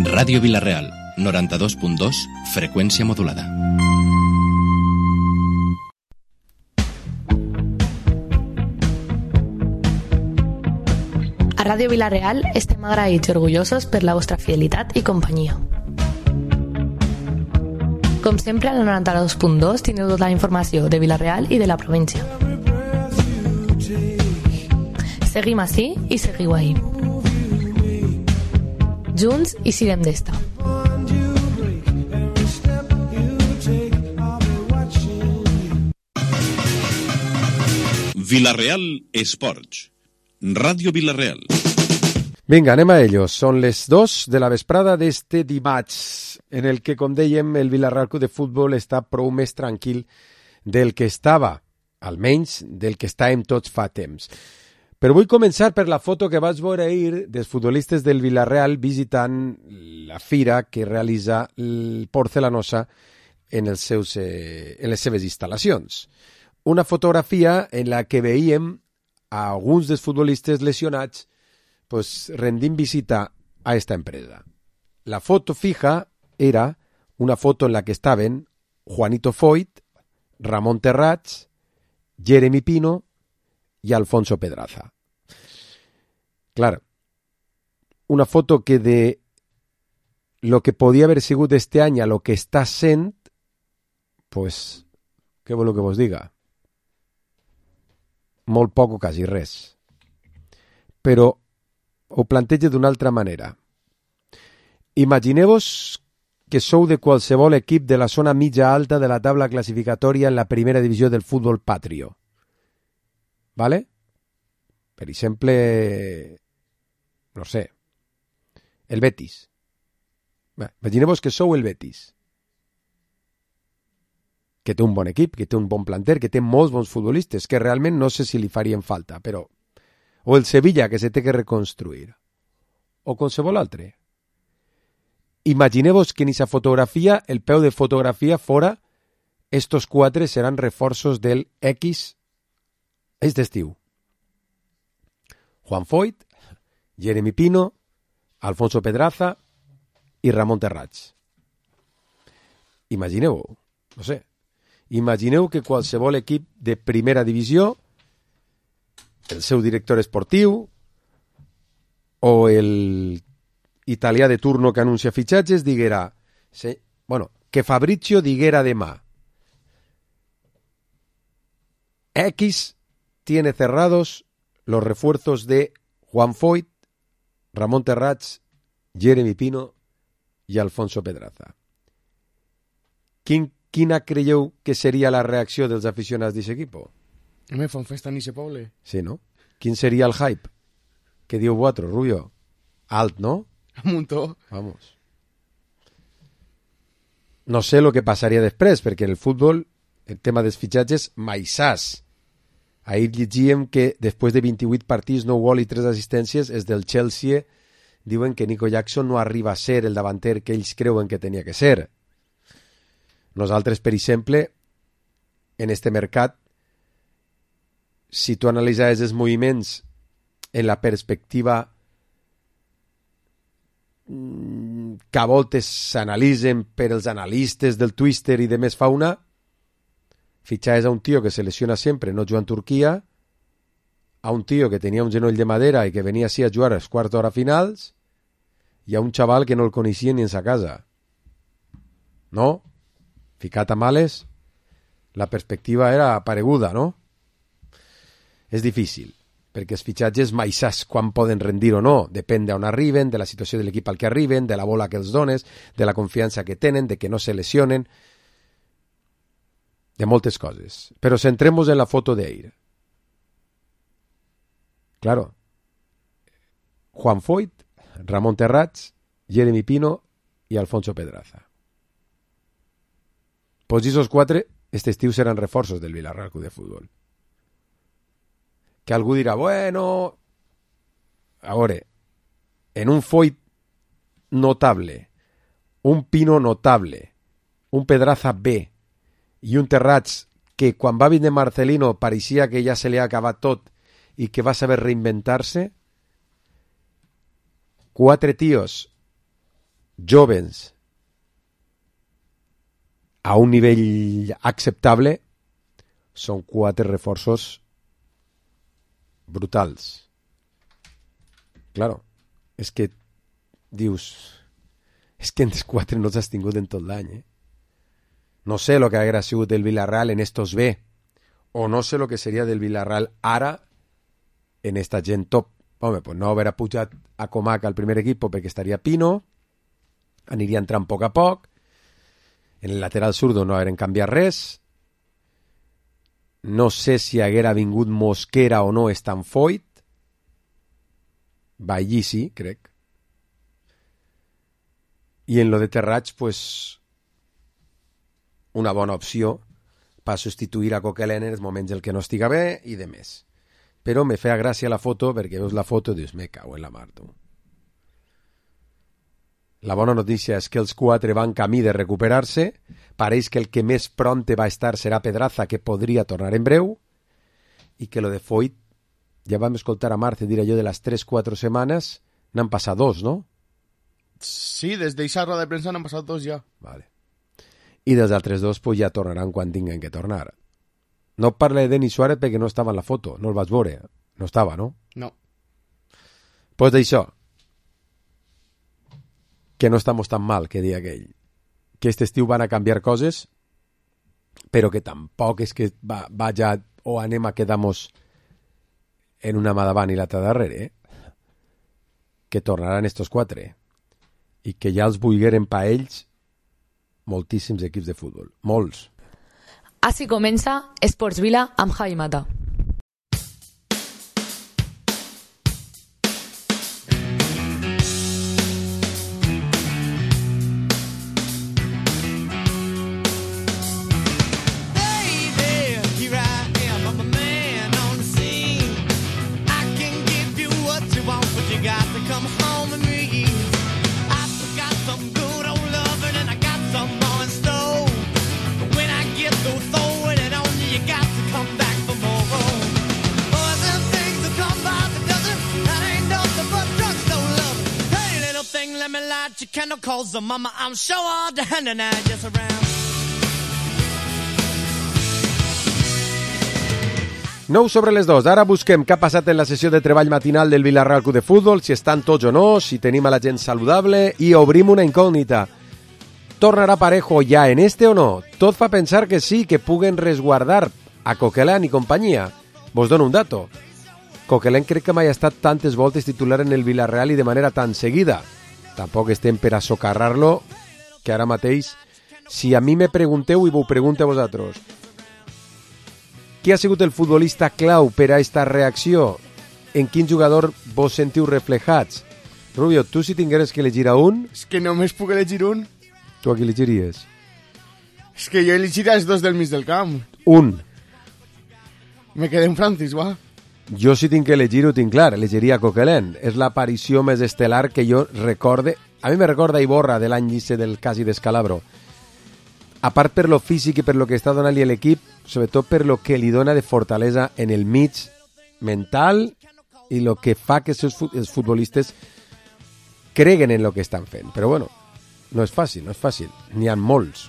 Ràdio Vila-real, 92.2, freqüència modulada. A Ràdio Vila-real estem agraïts i orgullosos per la vostra fidelitat i companyia. Com sempre, al 92.2 teniu tota la informació de Vila-real i de la província. Seguim ací i seguiu ahí. Junts i siguem d'esta. Vila-real Esports. Ràdio Vila-real. Vinga, anem a ellos. Són les 2 de la vesprada d'este dimarts, en el que, com dèiem, el Vila-real Club de Futbol està prou més tranquil del que estava, almenys del que estàvem tots fa temps. Però vull començar per la foto que vaig veure ahir dels futbolistes del Vila-real visitant la fira que realitza el Porcelanosa en les seves instal·lacions. Una fotografia en la que veiem a alguns dels futbolistes lesionats rendint visita a esta empresa. La foto fija era una foto en la que estaven Juanito Foyt, Ramón Terrats, Jeremy Pino y Alfonso Pedraza. Claro, una foto que de lo que podía haber sigut este any a lo que està sent, pues, què voleu que vos diga? Molt poc o quasi res. Però ho plantejo d'una altra manera. Imagineu-vos que sou de qualsevol equip de la zona mitja alta de la taula classificatòria en la primera divisió del futbol patrio. ¿Vale? Per exemple, no sé, el Betis. Imagineu-vos que sou el Betis, que té un bon equip, que té un bon planter, que té molts bons futbolistes, que realment no sé si li farien falta, però... O el Sevilla, que se té que reconstruir. O qualsevol altre. Imagineu-vos que en aquesta fotografia, el peu de fotografia fora, estos 4 seran reforços del X este estiu. Juan Foyt, Jeremy Pino, Alfonso Pedraza i Ramón Terrats. Imagineu, no sé, imagineu que qualsevol equip de primera divisió, el seu director esportiu o el italià de turno que anuncia fitxatges diguera, que Fabrizio diguera demà, X tiene cerrados los refuerzos de Juan Foyt, Ramón Terrats, Jeremy Pino y Alfonso Pedraza. Quina creieu que seria la reacció dels aficionats d'aquest equip? Me fan festa en ese poble. Sí, no? Quin seria el hype? Què diu vosaltres, Rubio? Alt, no? Un muntó. Vamos. No sé el que passaria després, perquè en el futbol el tema dels fitxatges mai saps. Ahir llegíem que després de 28 partits, 9 gols i 3 assistències, els del Chelsea diuen que Nico Jackson no arriba a ser el davanter que ells creuen que tenia que ser. Nosaltres, per exemple, en este mercat, si tu analitzaves els moviments en la perspectiva que a voltes s'analitzen per els analistes del Twitter i de més fauna, fitxaves a un tio que se lesiona sempre, no juga en Turquia, a un tio que tenia un genoll de madera i que venia així a jugar als quarts d'hora finals, i a un xaval que no el coneixia ni en sa casa. No? Ficat a males, la perspectiva era pareguda, no? És difícil, perquè els fitxatges mai saps quan poden rendir o no, depèn d'on arriben, de la situació de l'equip al que arriben, de la bola que els dones, de la confiança que tenen, de que no se lesionen, de moltes coses. Però centremos en la foto d'ahir. Claro, Juan Foyt, Ramón Terrats, Jeremy Pino i Alfonso Pedraza. Pues esos 4, este estiu seran reforços del Vila-real Club de Futbol. Que algú dirà, bueno, a veure, en un Foyt notable, un Pino notable, un Pedraza B i un Terrats que quan va vindre Marcelino pareixia que ja se li ha acabat tot i que va saber reinventar-se, 4 tios jóvens a un nivell acceptable són 4 reforços brutals. Claro, és que dius, és que entre 4 no t'has tingut en tot l'any, No sé lo que haguera sigut del Villarreal en estos B, o no sé lo que seria del Villarreal ara en esta gent top. Home, pues no haver pujat a Comac al primer equip perquè estaria Pino, aniria entrant a poc a poc, en el lateral zurdo no hagueren canviat res, no sé si haguera vingut Mosquera o no Stanfoyt, Bailly sí, crec, i en lo de Terrats, pues una bona opció per substituir a Coquelin en els moments en què no estiga bé i de més. Però me feia gràcia la foto perquè veus la foto i dius, me cago en la mar, tu. La bona notícia és que els 4 van camí de recuperar-se, pareix que el que més pronte va estar serà Pedraza, que podria tornar en breu, i que lo de Foyt, ja vam escoltar a Marce dir allò de les 3-4 setmanes, n'han passat 2, no? Sí, des d'eixa roda de premsa n'han passat 2 ja. Vale. I dels altres 2 pues, ja tornaran quan tinguen que tornar. No parle de Denis Suárez perquè no estava en la foto, no el vaig veure. No estava, no? No. Pues d'això, que no estamos tan mal, que dia aquell. Que este estiu van a canviar coses, però que tampoc és que vaya o anem a quedamos en una mà davant i l'altra darrere, que tornaran estos 4 i que ja els vulgueren pa ells moltíssims equips de futbol, molts. Així comença Esports Vila amb Javi Mata. Mama, I'm sure all the hand and I just around. 9 sobre les 2. Ara busquem què ha passat en la sessió de treball matinal del Villarreal Club de Futbol, si estan tots o no, si tenim a la gent saludable, i obrim una incògnita. Tornarà Parejo ja en este o no? Tot fa pensar que sí, que puguen resguardar a Coquelin i companyia. Vos dono un dato. Coquelin crec que mai ha estat tantes voltes titular en el Villarreal i de manera tan seguida. Tampoc estem per a socarrar-lo, que ara mateix, si a mi me pregunteu i vos pregunte a vosaltres, qui ha sigut el futbolista clau per a esta reacció? En quin jugador vos sentiu reflejats? Rubio, tu si tingueres que elegir a un... És que només puc elegir un. Tu a qui elegiries? És que jo elegiria els 2 del mig del camp. Un. Me quedé en Francis, va. Jo si tinc que elegir ho tinc clar, elegiria Coquelin. És l'aparició més estel·lar que jo recorde. A mi me recorda Iborra de l'any llice del Casi d'Escalabro. A part per lo físic i per lo que està donant-li l'equip, sobretot per lo que li dona de fortalesa en el mig mental i lo que fa que els futbolistes creguen en lo que estan fent. Però bueno, no és fàcil, no és fàcil. N'hi ha molts.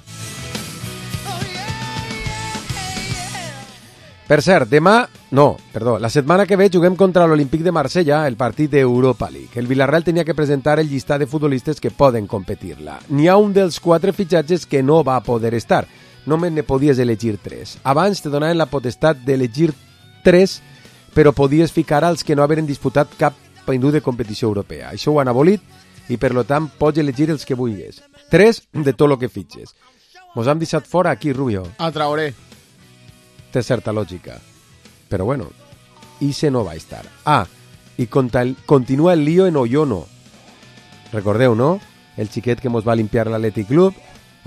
Per cert, la setmana que ve juguem contra l'Olímpic de Marsella el partit d'Europa League. El Villarreal tenia que presentar el llistat de futbolistes que poden competir-la. N'hi ha un dels 4 fitxatges que no va poder estar. Només ne podies elegir 3. Abans te donaven la potestat d'elegir 3, però podies ficar als que no haveren disputat cap païndú de competició europea. Això ho han abolit i, per lo tant, pots elegir els que vulguis. 3 de tot el que fitxes. Mos hem deixat fora aquí, Rubio. A Traoré. Té certa lògica. Però bueno, Ise no va estar. I continua el lío en Oyono. Recordeu, no? El xiquet que mos va limpiar l'Atlètic Club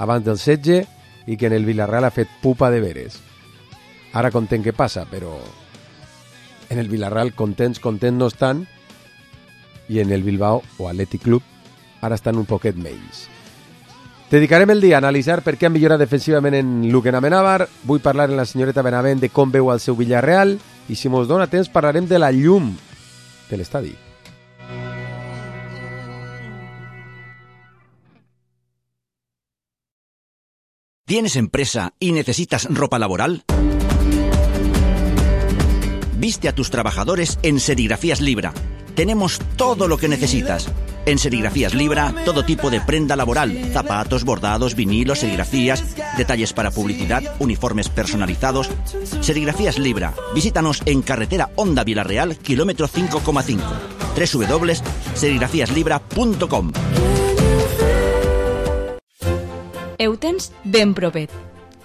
abans del setge i que en el Villarreal ha fet pupa de veres. Ara content què passa, però en el Villarreal contents no estan, i en el Bilbao o Atlètic Club ara estan un poquet menys. Dedicarem el dia a analitzar per què han millorat defensivament en Luquen Amenábar. Vull parlar amb la senyoreta Benavent de com veu el seu Villarreal i si mos dona temps parlarem de la llum de l'estadi. ¿Tienes empresa y necesitas ropa laboral? Viste a tus trabajadores en Serigrafías Libra. Tenemos todo lo que necesitas. En Serigrafías Libra, todo tipo de prenda laboral, zapatos, bordados, vinilos, serigrafías, detalles para publicidad, uniformes personalizados. Serigrafías Libra. Visítanos en carretera Honda Vilareal, kilómetro 5,5. www.serigrafiaslibra.com. Eutens ben propet.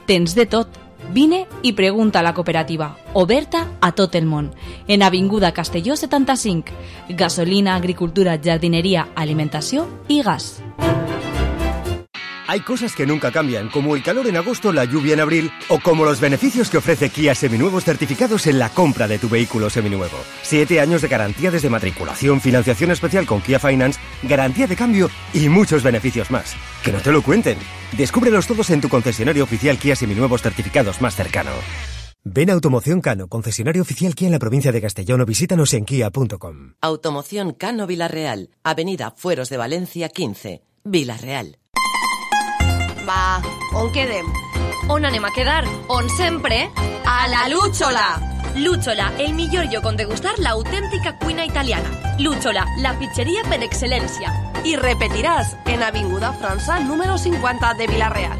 Tens de tot. Vine i pregunta a la cooperativa, oberta a tot el món, en Avinguda Castelló 75, gasolina, agricultura, jardinería, alimentació i gas. Hay cosas que nunca cambian, como el calor en agosto, la lluvia en abril, o como los beneficios que ofrece Kia Seminuevos certificados en la compra de tu vehículo seminuevo. 7 años de garantía desde matriculación, financiación especial con Kia Finance, garantía de cambio y muchos beneficios más. Que no te lo cuenten. Descúbrelos todos en tu concesionario oficial Kia Seminuevos certificados más cercano. Ven a Automoción Cano, concesionario oficial Kia en la provincia de Castellón, o visítanos en kia.com. Automoción Cano Vilareal, Avenida Fueros de Valencia 15, Vilareal. Va, on quedem? On anem a quedar? On sempre? A la Lúchola! Lúchola, el millor lloc on degustar l'autèntica cuina italiana. Lúchola, la pizzeria per excel·lència. I repetiràs en Avinguda França número 50 de Vilareal.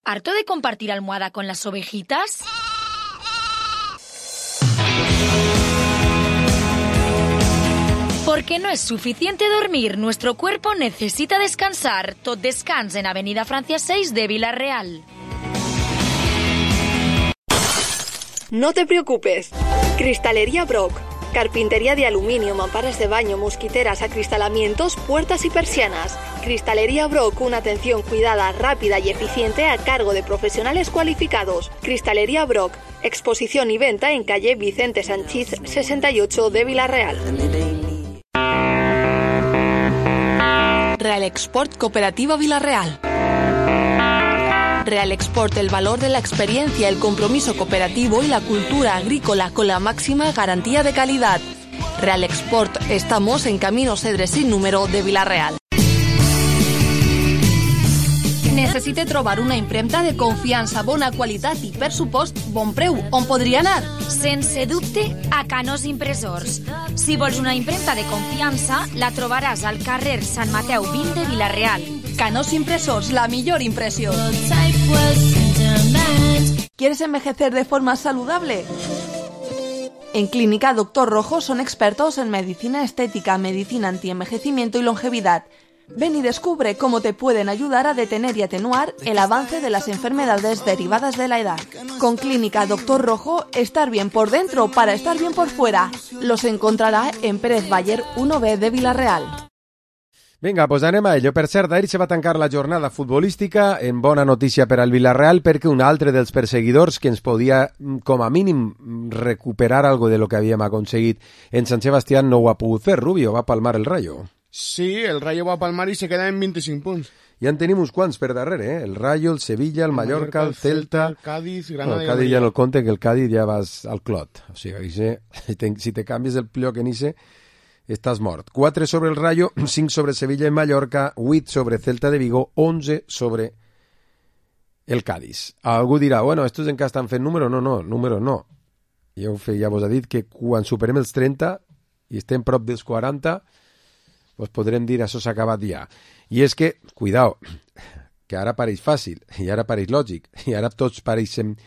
¿Harto de compartir almohada con las ovejitas? Porque no es suficiente dormir, nuestro cuerpo necesita descansar. Tot descans en Avenida Francia 6 de Vilareal. No te preocupes. Cristalería Brock. Carpintería de aluminio, mamparas de baño, mosquiteras, acristalamientos, puertas y persianas. Cristalería Brock, una atención cuidada, rápida y eficiente a cargo de profesionales cualificados. Cristalería Brock, exposición y venta en calle Vicente Sanchís 68 de Vilareal. Real Export Cooperativa Vilareal. Real Export, el valor de la experiencia, el compromiso cooperativo y la cultura agrícola con la máxima garantía de calidad. Real Export, estamos en Camino Cedre sin número de Vilareal. Necessite trobar una impremta de confiança, bona qualitat i, per supost, bon preu. On podria anar? Sense dubte, a Canós Impressors. Si vols una impremta de confiança, la trobaràs al carrer Sant Mateu 20 de Vilareal. Canós Impressors, la millor impressió. ¿Quieres envejecer de forma saludable? En Clínica Dr. Rojo son expertos en medicina estética, medicina antienvejecimiento y longevidad. Ven y descubre cómo te pueden ayudar a detener y atenuar el avance de las enfermedades derivadas de la edad. Con Clínica Dr. Rojo, estar bien por dentro para estar bien por fuera. Los encontrarà en Pérez Baller 1B de Vilareal. Vinga, doncs anem a ello. Per cert, ahir se va tancar la jornada futbolística, en bona notícia per al Vilareal, perquè un altre dels perseguidors que ens podia, com a mínim, recuperar algo de lo que havíem aconseguit en Sant Sebastián no ho ha pogut fer. Rubio va palmar el Rayo. Sí, el Rayo va a palmar y se queda en 25 punts. Ja en tenim uns quants per darrere, eh? El Rayo, el Sevilla, el Mallorca, el Celta... El Cádiz, Granada... No, el Cádiz ja no el compte, que el Cádiz ja vas al clot. O sigui, si te canvies el lloc en Ise, estàs mort. 4 sobre el Rayo, 5 sobre Sevilla i Mallorca, 8 sobre Celta de Vigo, 11 sobre el Cádiz. Algú dirà, bueno, estos encara estan fent número? No, número no. Ja vos ha dit que quan superem els 30 i estem prop dels 40... pues podrem dir això s'ha acabat ja. I és que, cuidao, que ara pareix fàcil, i ara pareix lògic, i ara tots pareixem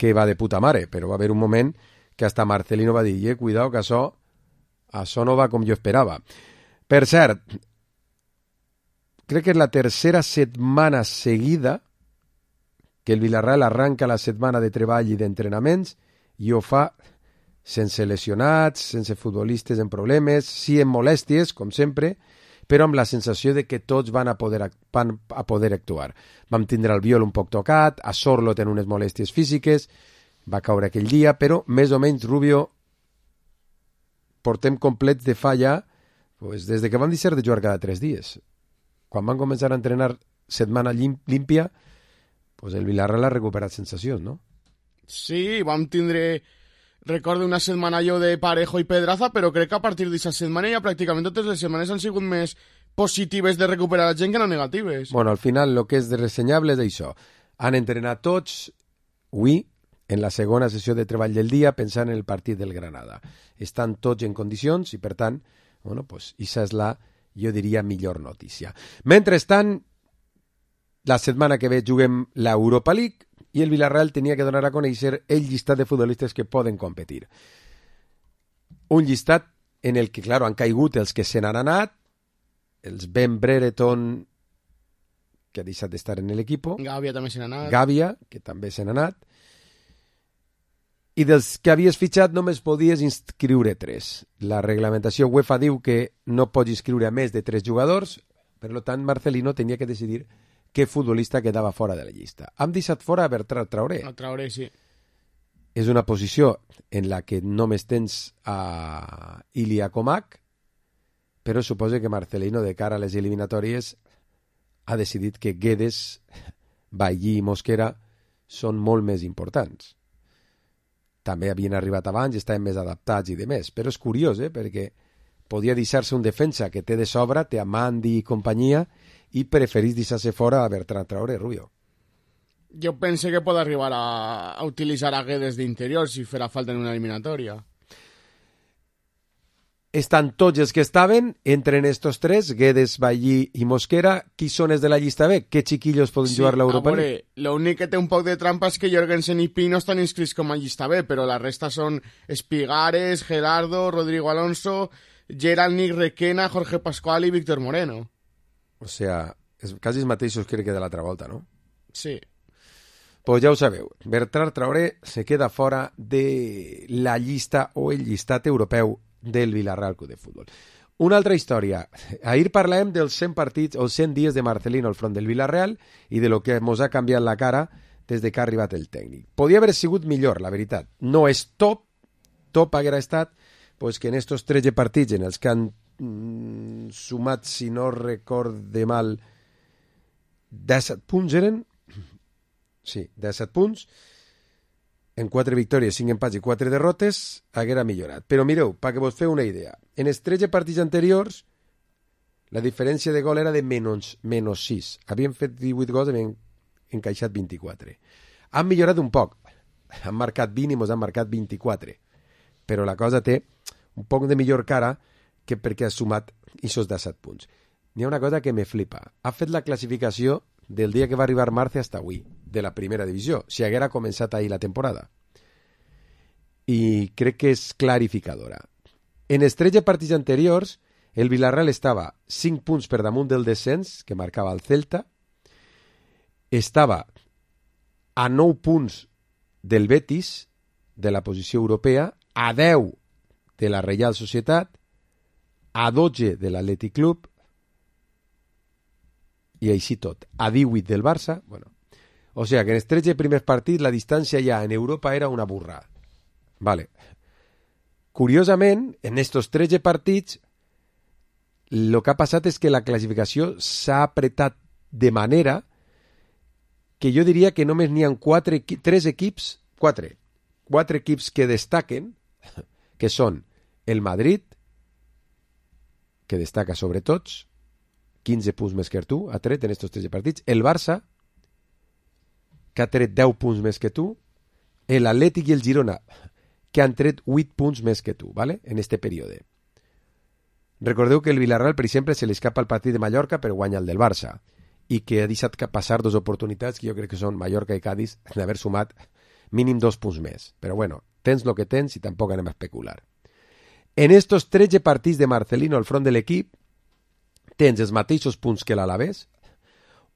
que va de puta mare, però va haver un moment que hasta Marcelino va dir, cuidao, que això no va com jo esperava. Per cert, crec que és la tercera setmana seguida que el Vilareal arranca la setmana de treball i d'entrenaments i ho fa sense lesionats, sense futbolistes en problemes, sí en molèsties, com sempre, però amb la sensació de que tots van a poder actuar. Vam tindre el Viol un poc tocat, a Sorlo ten unes molèsties físiques, va caure aquell dia, però més o menys, Rubio, portem complets de falla pues, des de que vam deixar de jugar cada 3 dies. Quan van començar a entrenar setmana límpia, pues el Vilareal ha recuperat sensacions, no? Sí, vam tindre... Recordo una setmana jo de Parejo i Pedraza, però crec que a partir d'aquesta setmana ja pràcticament totes les setmanes han sigut més positives de recuperar la gent que no negatives. Bueno, al final el que és de ressenyable és això. Han entrenat tots avui en la segona sessió de treball del dia pensant en el partit del Granada. Estan tots en condicions i, per tant, bueno, pues, això és la, jo diria, millor notícia. Mentrestant, la setmana que ve juguem l'Europa League i el Villarreal tenia que donar a conèixer el llistat de futbolistes que poden competir. Un llistat en el que, claro, han caigut els que se n'han anat, els Ben Brereton, que ha deixat d'estar en l'equip, Gàbia també se n'ha anat. Gàbia, que també se n'ha anat, i dels que havies fitxat només podies inscriure 3. La reglamentació UEFA diu que no pots inscriure a més de 3 jugadors, per tant Marcelino tenia que decidir què futbolista quedava fora de la llista. Hem deixat fora a Bertrand Traoré. A Traoré, sí. És una posició en la que només tens a Ilya Comac, però suposa que Marcelino, de cara a les eliminatòries, ha decidit que Guedes, Bailly i Mosquera són molt més importants. També havien arribat abans i estaven més adaptats i de més, però és curiós, perquè podia deixar-se un defensa que té de sobre, té a Mandi i companyia, i preferís deixar-se fora a Bertrand Traoré, Rubio. Jo pense que pot arribar a utilitzar a Guedes d'interior si farà falta en una eliminatòria. Estan tots els que estaven, entren estos 3, Guedes, Bailly i Mosquera. Qui són els de la llista B? Què xiquillos poden jugar l'Europa League? L'únic que té un poc de trampa és que Jorgensen i Pino estan inscrits com a llista B, però la resta són Espigares, Gerardo, Rodrigo Alonso, Gerald Nick Requena, Jorge Pascual i Víctor Moreno. O sea, és quasi els mateixos crec que de l'altra volta, no? Sí. Pues ja ho sabeu, Bertrand Traoré se queda fora de la llista o el llistat europeu del Villarreal Club de Futbol. Una altra història. Ahir parlàvem dels 100 partits o 100 dies de Marcelino al front del Villarreal i de lo que mos ha canviat la cara des de que ha arribat el tècnic. Podia haver sigut millor, la veritat. No és top haguera estat pues, que en estos 13 partits en els que han sumat, si no recorde mal, 17 punts eren? Sí, 17 punts. En 4 victòries, 5 empats i 4 derrotes, haguera millorat. Però mireu, perquè vos feu una idea, en els 13 partits anteriors, la diferència de gol era de menys 6. Havien fet 18 gols i havien encaixat 24. Han millorat un poc. Han marcat 20 i mos han marcat 24. Però la cosa té un poc de millor cara que perquè ha sumat aquests 17 punts. N'hi ha una cosa que me flipa. Ha fet la classificació del dia que va arribar Marce hasta avui, de la primera divisió, si haguera començat ahir la temporada. I crec que és clarificadora. En els 13 partits anteriors, el Villarreal estava 5 punts per damunt del descens, que marcava el Celta, estava a 9 punts del Betis, de la posició europea, a 10 de la Reial Societat, a 12 de l'Atlètic Club, i així tot, a 18 del Barça. Bueno, o sigui que en els 13 primers partits la distància ja en Europa era una burra. Vale. Curiosament, en estos 13 partits, el que ha passat és que la classificació s'ha apretat de manera que jo diria que només n'hi ha 4 equips que destaquen, que són el Madrid, que destaca sobre tots, 15 punts més que tu, ha tret en estos 13 partits, el Barça, que ha tret 10 punts més que tu, l'Atlètic i el Girona, que han tret 8 punts més que tu, ¿vale? En este període. Recordeu que el Villarreal, per exemple, se li escapa el partit de Mallorca però guanya el del Barça, i que ha deixat passar 2 oportunitats que jo crec que són Mallorca i Cádiz d'haver sumat mínim 2 punts més. Però bueno, tens lo que tens i tampoc anem a especular. En estos 13 partits de Marcelino al front de l'equip, tens els mateixos punts que l'Alavés,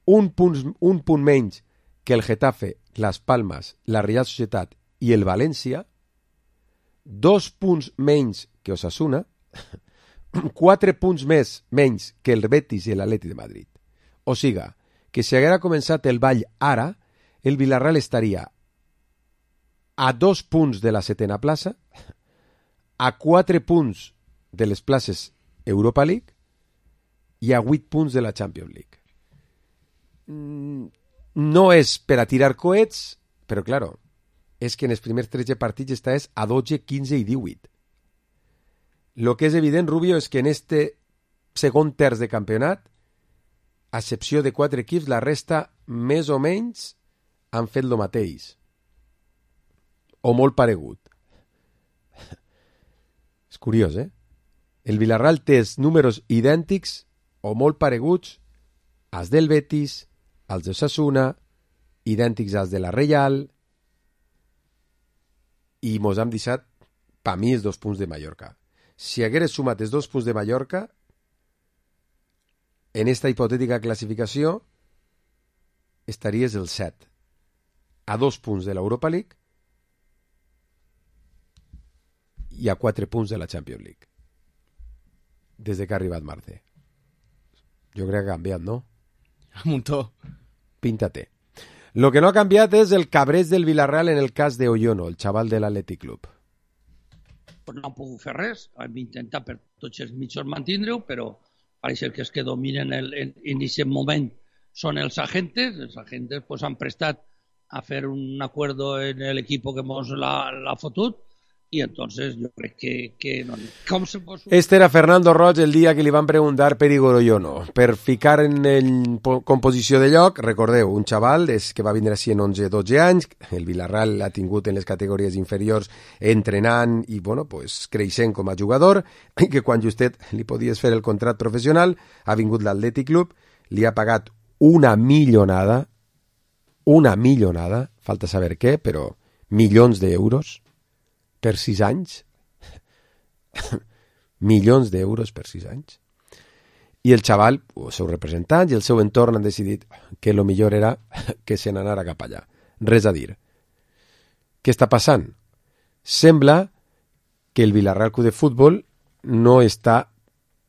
un punt menys que el Getafe, Las Palmas, la Real Societat i el València, 2 punts menys que Osasuna, 4 punts menys que el Betis i l'Atlètic de Madrid. O siga, que si haguera començat el ball ara, el Villarreal estaria a 2 punts de la 7ª plaça, a 4 punts de les places Europa League i a 8 punts de la Champions League. No és per a tirar coets, però claro, és que en els primers 13 partits estàs a 12, 15 i 18. Lo que és evident, Rubio, és que en este segon terç de campionat, a excepció de 4 equips, la resta més o menys han fet el mateix. O molt paregut. És curiós, eh? El Villarreal té els números idèntics o molt pareguts als del Betis, als de Osasuna, idèntics als de la Reial, i mos hem deixat, per mi, els 2 punts de Mallorca. Si hagués sumat els 2 punts de Mallorca, en esta hipotètica classificació, estaries el 7, a 2 punts de l'Europa League i a 4 punts de la Champions League. Des que ha arribat Marce. Jo crec que ha canviat, no? Un muntó. Píntate. Lo que no ha canviat és el cabreig del Villarreal en el cas de Oyono, el xaval de l'Athletic Club. No han pogut fer res, hem intentat per tots els mitjans mantindre-ho, però pareix que els que dominen en aquest moment són els agentes pues, han prestat a fer un acuerdo en el equipo que ens l'ha fotut, i entonces jo crec que no. Com se pot... Este era Fernando Roig el dia que li van preguntar per Igor Oyono. Per ficar en composició de lloc, recordeu, un xaval que va vindre així en 11-12 anys, el Villarreal l'ha tingut en les categories inferiors entrenant i bueno, pues, creixent com a jugador, i que quan justet li podies fer el contracte professional, ha vingut l'Athletic Club, li ha pagat una millonada, falta saber què, però milions d'euros, per 6 anys, milions d'euros per 6 anys. I el xaval, els seus representants i el seu entorn han decidit que el millor era que se n'anara cap allà. Res a dir. Què està passant? Sembla que el Villarreal Club de Futbol no està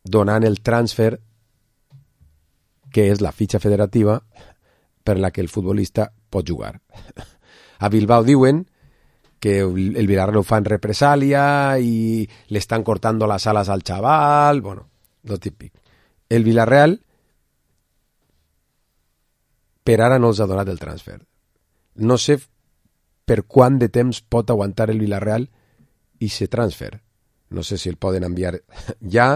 donant el transfer que és la fitxa federativa per la que el futbolista pot jugar. A Bilbao diuen que el Villarreal ho fa en represàlia i le estan cortando las alas al chaval, bueno, lo típic. El Villarreal per ara no els ha donat el transfer. No sé per quant de temps pot aguantar el Villarreal i se transfer. No sé si el poden enviar ja,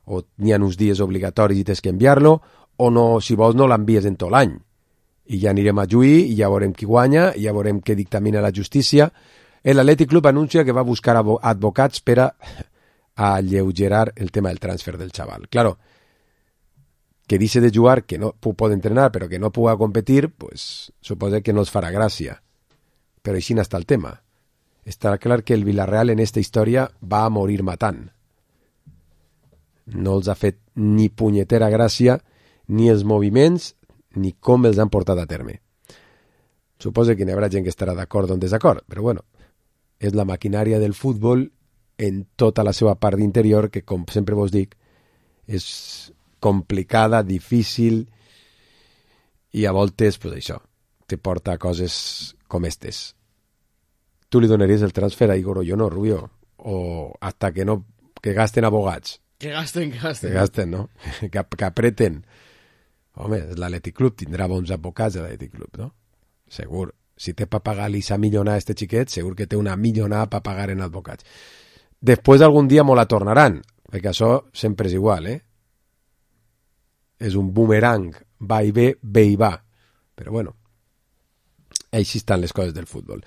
o n'hi ha uns dies obligatoris i tens que enviar-lo, o no, si vols no l'envies en tot l'any. I ja anirem a juir, i ja veurem qui guanya, i ja veurem què dictamina la justícia. L'Athletic Club anuncia que va a buscar advocats per a alleugerar el tema del transfer del chaval. Claro, que dice de jugar, que no puede entrenar, pero que no pueda competir, pues suposa que no els farà gràcia. Però així està el tema. Està clar que el Villarreal en esta història va a morir matant. No els ha fet ni punyetera gràcia, ni els moviments, ni com els han portat a terme. Suposa que n'hi haurà gent que estarà d'acord o en desacord, però bueno, és la maquinària del futbol en tota la seva part d'interior, que com sempre vos dic, és complicada, difícil, i a voltes, pues això, te porta a coses com estes. Tu li donaries el transfer a Igor Oyono, Rubio? O hasta que no, que gasten abogats? Que gasten. Que gasten, no? Que apreten. Home, l'Athletic Club tindrà bons advocats, l'Athletic Club, no? Segur. Si té per pagar-li esa millonada a este xiquet, segur que té una millonada per pagar en advocats. Després algun dia me la tornaran, perquè això sempre és igual, eh? És un boomerang, va i ve i va. Però bueno, així estan les coses del futbol.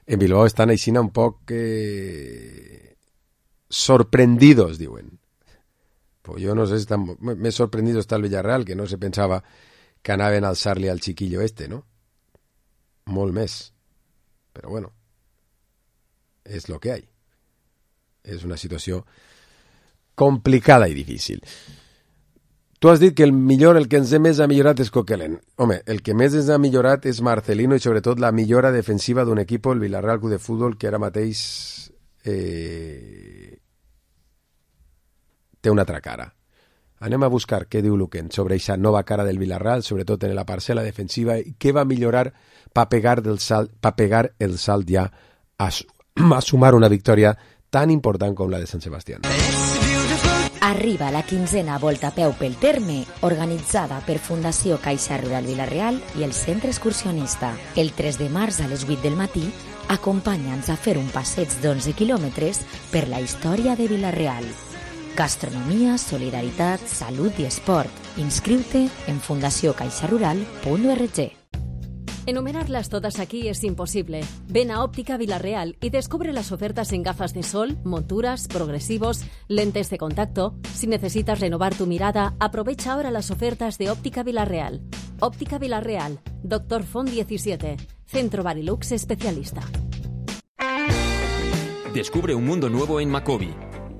En Bilbao estan així un poc sorprendidos, diuen. Pues yo no sé si están... Me sorprendido está el Villarreal, que no se pensava que anaven a alçar-li al chiquillo este, ¿no? Molt més. Però bueno, és lo que hay. És una situació complicada i difícil. Tu has dit que el millor, el que ens més ha millorat és Coquelin. Home, el que més ens ha millorat és Marcelino i sobretot la millora defensiva d'un equip, el Villarreal Club de Futbol, que ara mateix té una altra cara. Anem a buscar què diu Luquen sobre aquesta nova cara del Villarreal, sobretot en la parcel·la defensiva, i què va millorar per pegar el salt ja a sumar una victòria tan important com la de Sant Sebastián. Arriba la 15a Volta a peu pel terme, organitzada per Fundació Caixa Rural Villarreal i el Centre Excursionista. El 3 de març a les 8 del matí, acompanya'ns a fer un passeig d'11 quilòmetres per la història de Villarreal. Gastronomia, solidaritat, salut i esport. Inscriu-te en fundaciocaixarural.org. Enumerarlas todas aquí es imposible. Ven a Óptica Villarreal y descubre las ofertas en gafas de sol, monturas, progresivos, lentes de contacto. Si necesitas renovar tu mirada, aprovecha ahora las ofertas de Óptica Villarreal. Óptica Villarreal, Dr. Font 17, Centro Barilux Especialista. Descubre un mundo nuevo en Macobi.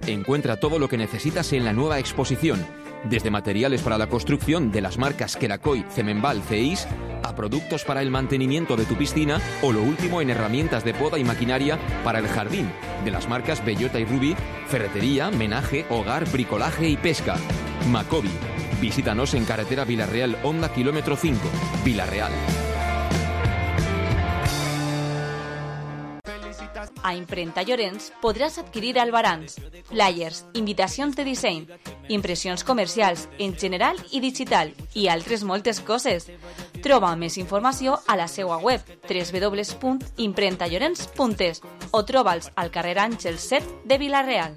Encuentra todo lo que necesitas en la nueva exposición, desde materiales para la construcción de las marcas Kerakoy, Cemenbal, CEIS, a productos para el mantenimiento de tu piscina o lo último en herramientas de poda y maquinaria para el jardín, de las marcas Bellota y Ruby, ferretería, menaje, hogar, bricolaje y pesca. Macobi. Visítanos en carretera Villarreal, Honda, kilómetro 5, Villarreal. A Imprenta Llorenç podràs adquirir albarans, flyers, invitacions de disseny, impressions comercials en general i digital i altres moltes coses. Troba més informació a la seva web www.imprentallorenç.es o troba'ls al carrer Àngel 7 de Vila-real.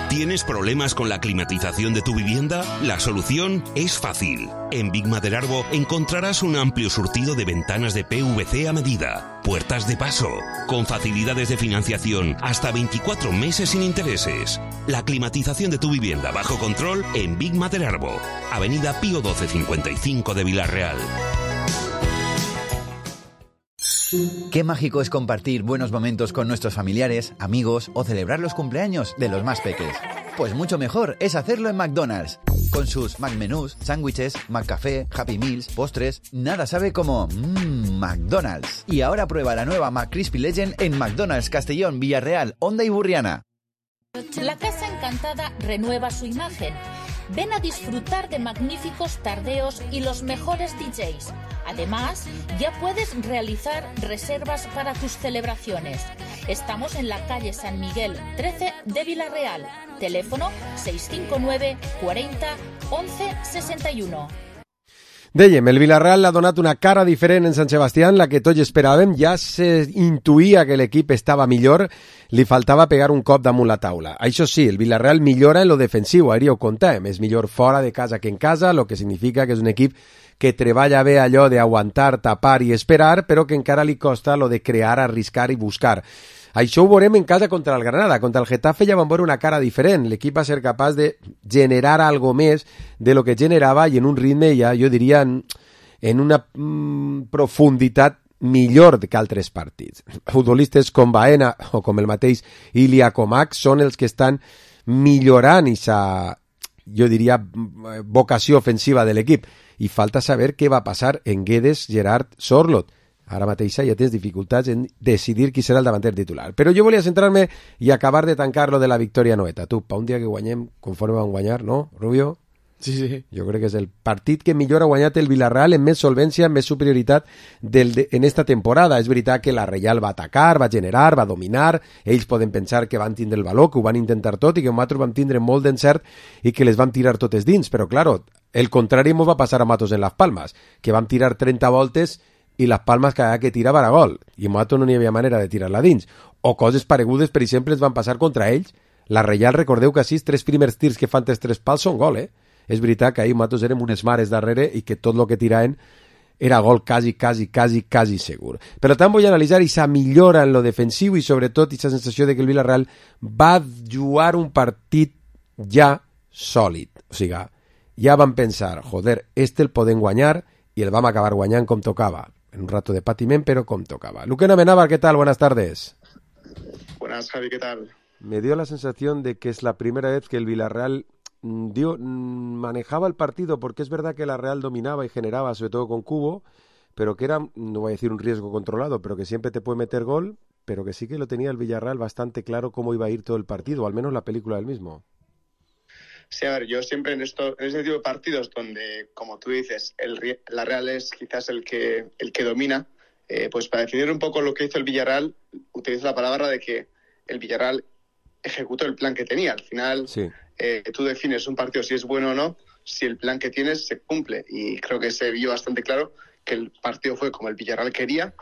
¿Tienes problemas con la climatización de tu vivienda? La solución es fácil. En Big Maderarbo encontrarás un amplio surtido de ventanas de PVC a medida, puertas de paso, con facilidades de financiación hasta 24 meses sin intereses. La climatización de tu vivienda bajo control en Big Maderarbo, Avenida Pío 1255 de Vila-real. Qué mágico es compartir buenos momentos con nuestros familiares, amigos o celebrar los cumpleaños de los más peques. Pues mucho mejor es hacerlo en McDonald's. Con sus McMenús, sándwiches, McCafé, Happy Meals, postres, nada sabe como McDonald's. Y ahora prueba la nueva McCrispy Legend en McDonald's Castellón, Villarreal, Honda y Burriana. La Casa Encantada renueva su imagen. Ven a disfrutar de magníficos tardeos y los mejores DJs. Además, ya puedes realizar reservas para tus celebraciones. Estamos en la calle San Miguel 13 de Vila-real. Teléfono 659 40 11 61. Dèiem, el Villarreal ha donat una cara diferent en Sant Sebastián, la que tots esperàvem. Ja se intuïa que l'equip estava millor, li faltava pegar un cop damunt la taula. Això sí, el Villarreal millora en lo defensiu, ahir ho contàvem, és millor fora de casa que en casa, lo que significa que és un equip que treballa bé allò d'aguantar, tapar i esperar, però que encara li costa lo de crear, arriscar i buscar. Això ho veurem en casa contra el Granada. Contra el Getafe ja vam veure una cara diferent. L'equip va ser capaç de generar algo més de lo que generava i en un ritme, ja jo diria, en una profunditat millor que altres partits. Futbolistes com Baena o com el mateix Ilya Comac són els que estan millorant aquesta, jo diria, vocació ofensiva de l'equip. I falta saber què va passar en Guedes, Gerard, Sorloth. Ara mateix ja tens dificultats en decidir qui serà el davanter titular. Però jo volia centrar-me i acabar de tancar lo de la victòria noeta. Tu, pa un dia que guanyem conforme vam guanyar, no, Rubio? Sí, sí. Jo crec que és el partit que millor ha guanyat el Villarreal en més solvència, en més superioritat en esta temporada. És veritat que la Reial va atacar, va generar, va dominar, ells poden pensar que van tindre el valor, que ho van intentar tot i que nosaltres vam tindre molt d'encert i que les vam tirar totes dins, però claro, el contrari ens va passar a Matos en Las Palmas, que vam tirar 30 voltes i Las Palmas cada que tirava era gol, i a Mato no n'hi havia manera de tirar-la dins. O coses paregudes, per exemple, es van passar contra ells. La Reial, recordeu que així, 3 primers tirs que fan els 3 pals són gol, És veritat que ahir Matos érem unes mares darrere i que tot el que tiraven era gol quasi segur. Per tant, vull analitzar aquesta millora en lo defensiu i sobretot aquesta sensació de que el Villarreal va jugar un partit ja sòlid. O sigui, ja vam pensar, joder, el podem guanyar i el vam acabar guanyant com tocava. En un rato de patiment, pero com tocaba. Luque Amenábar, ¿qué tal? Buenas tardes. Buenas, Javi, ¿qué tal? Me dio la sensación de que es la primera vez que el Villarreal manejaba el partido, porque es verdad que la Real dominaba y generaba, sobre todo con Cubo, pero que era, no voy a decir un riesgo controlado, pero que siempre te puede meter gol, pero que sí que lo tenía el Villarreal bastante claro cómo iba a ir todo el partido, o al menos la película del mismo. Sí, a ver, yo siempre en ese tipo de partidos donde, como tú dices, la Real es quizás el que domina, pues para definir un poco lo que hizo el Villarreal, utilizo la palabra de que el Villarreal ejecutó el plan que tenía. Al final, sí. Tú defines un partido si es bueno o no, si el plan que tienes se cumple. Y creo que se vio bastante claro que el partido fue como el Villarreal quería.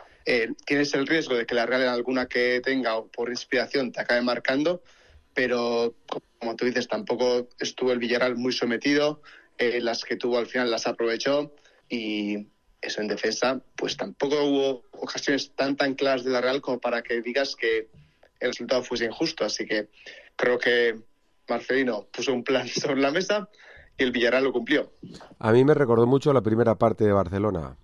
Tienes el riesgo de que la Real en alguna que tenga o por inspiración te acabe marcando, pero como tú dices, tampoco estuvo el Villarreal muy sometido, las que tuvo al final las aprovechó, y eso en defensa, pues tampoco hubo ocasiones tan claras de la Real como para que digas que el resultado fuese injusto. Así que creo que Marcelino puso un plan sobre la mesa y el Villarreal lo cumplió. A mí me recordó mucho la primera parte de Barcelona.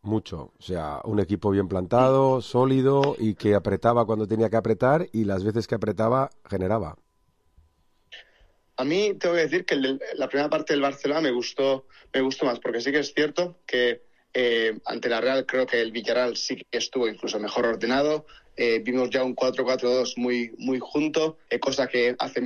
Mucho. O sea, un equipo bien plantado, sólido y que apretaba cuando tenía que apretar y las veces que apretaba generaba. A mí tengo que decir que la primera parte del Barcelona me gustó más, porque sí que es cierto que ante la Real creo que el Villarreal sí que estuvo incluso mejor ordenado. Vimos ya un 4-4-2 muy junto, cosa que hace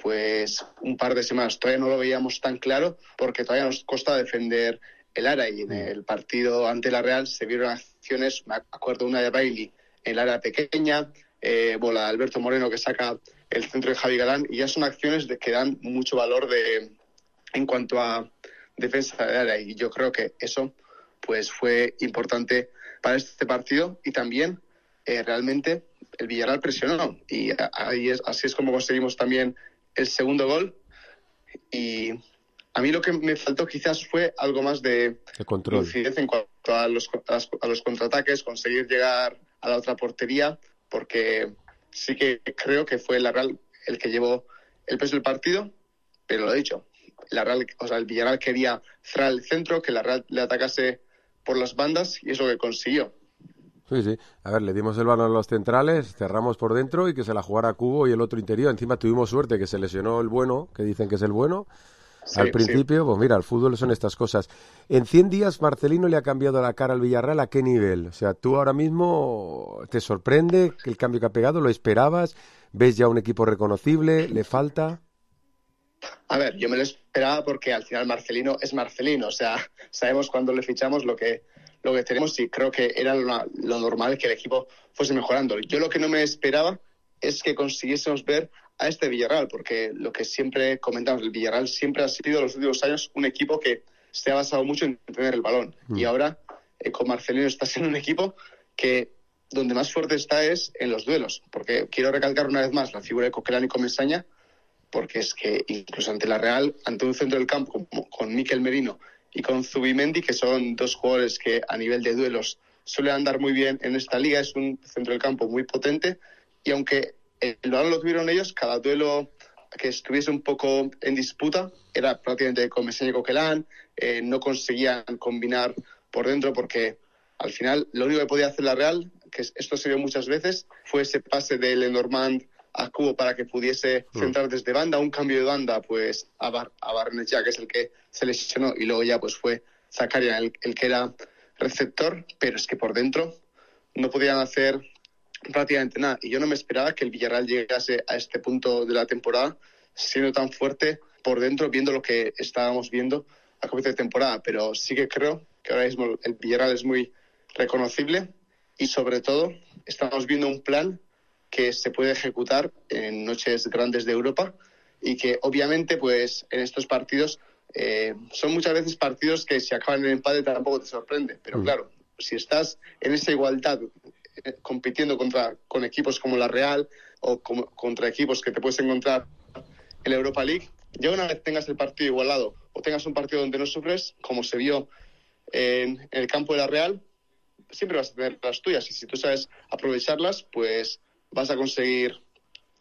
pues un par de semanas todavía no lo veíamos tan claro, porque todavía nos cuesta defender el área, y en el partido ante la Real se vieron acciones, me acuerdo una de Bailey en el área pequeña, bola de Alberto Moreno que saca el centro de Javi Galán, y ya son acciones que dan mucho valor en cuanto a defensa de área, y yo creo que eso pues fue importante para este partido. Y también realmente el Villarreal presionó, y así es como conseguimos también el segundo gol. Y a mí lo que me faltó quizás fue algo más de control, lucidez en cuanto a los contraataques, conseguir llegar a la otra portería, porque sí que creo que fue la Real el que llevó el peso del partido, pero lo he dicho, el Villarreal quería cerrar el centro, que la Real le atacase por las bandas, y es lo que consiguió. Sí. A ver, le dimos el balón a los centrales, cerramos por dentro y que se la jugara Cubo y el otro interior. Encima tuvimos suerte que se lesionó el bueno, que dicen que es el bueno. Sí, al principio, sí. Pues mira, el fútbol son estas cosas. En 100 días, Marcelino le ha cambiado la cara al Villarreal, ¿a qué nivel? O sea, tú ahora mismo te sorprende el cambio que ha pegado, ¿lo esperabas? ¿Ves ya un equipo reconocible? ¿Le falta? A ver, yo me lo esperaba porque al final Marcelino es Marcelino. O sea, sabemos cuando le fichamos lo que tenemos, y creo que era lo normal que el equipo fuese mejorando. Yo lo que no me esperaba es que consiguiésemos ver a este Villarreal, porque lo que siempre comentamos, el Villarreal siempre ha sido en los últimos años un equipo que se ha basado mucho en tener el balón. Y ahora, con Marcelino, está siendo un equipo que donde más fuerte está es en los duelos. Porque quiero recalcar una vez más la figura de Coquelán y Comesaña, porque es que incluso ante la Real, ante un centro del campo con Mikel Merino y con Zubimendi, que son dos jugadores que a nivel de duelos suelen andar muy bien en esta liga, es un centro del campo muy potente, y aunque el balón lo tuvieron ellos, cada duelo que estuviese un poco en disputa era prácticamente Comesaña y Coquelán, no conseguían combinar por dentro, porque al final lo único que podía hacer la Real, que esto se vio muchas veces, fue ese pase de Lenormand a Cubo para que pudiese centrar desde banda, un cambio de banda pues a Barnechea, que es el que se lesionó, y luego ya pues fue Zakaria el que era receptor, pero es que por dentro no podían hacer prácticamente nada, y yo no me esperaba que el Villarreal llegase a este punto de la temporada siendo tan fuerte por dentro, viendo lo que estábamos viendo a comienzo de temporada. Pero sí que creo que ahora mismo el Villarreal es muy reconocible, y sobre todo estamos viendo un plan que se puede ejecutar en noches grandes de Europa, y que obviamente pues en estos partidos son muchas veces partidos que si acaban en empate tampoco te sorprende, pero claro, si estás en esa igualdad compitiendo con equipos como la Real o contra equipos que te puedes encontrar en la Europa League, ya una vez tengas el partido igualado o tengas un partido donde no sufres, como se vio en el campo de la Real, siempre vas a tener las tuyas, y si tú sabes aprovecharlas, pues vas a conseguir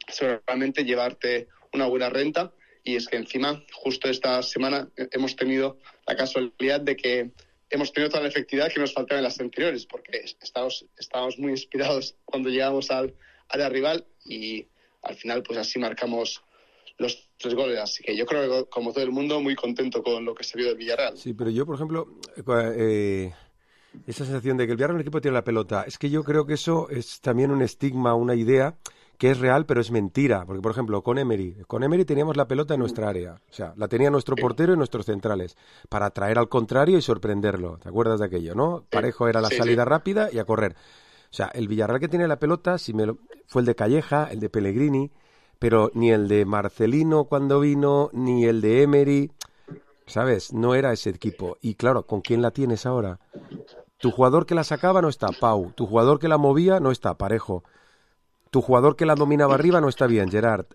seguramente llevarte una buena renta. Y es que encima, justo esta semana, hemos tenido la casualidad de que hemos tenido toda la efectividad que nos faltaba en las anteriores, porque estábamos muy inspirados cuando llegamos al área rival, y al final pues así marcamos los 3 goles. Así que yo creo que, como todo el mundo, muy contento con lo que se vio del Villarreal. Sí, pero yo, por ejemplo, esa sensación de que el Villarreal, el equipo tiene la pelota, es que yo creo que eso es también un estigma, una idea que es real, pero es mentira. Porque, por ejemplo, con Emery teníamos la pelota en nuestra área. O sea, la tenía nuestro portero y nuestros centrales, para atraer al contrario y sorprenderlo. ¿Te acuerdas de aquello, no? Parejo era la salida rápida y a correr. O sea, el Villarreal que tiene la pelota fue el de Calleja, el de Pellegrini, pero ni el de Marcelino cuando vino, ni el de Emery, ¿sabes? No era ese equipo. Y claro, ¿con quién la tienes ahora? Tu jugador que la sacaba no está, Pau. Tu jugador que la movía no está, Parejo. tu jugador que la dominaba arriba no está bien, Gerard.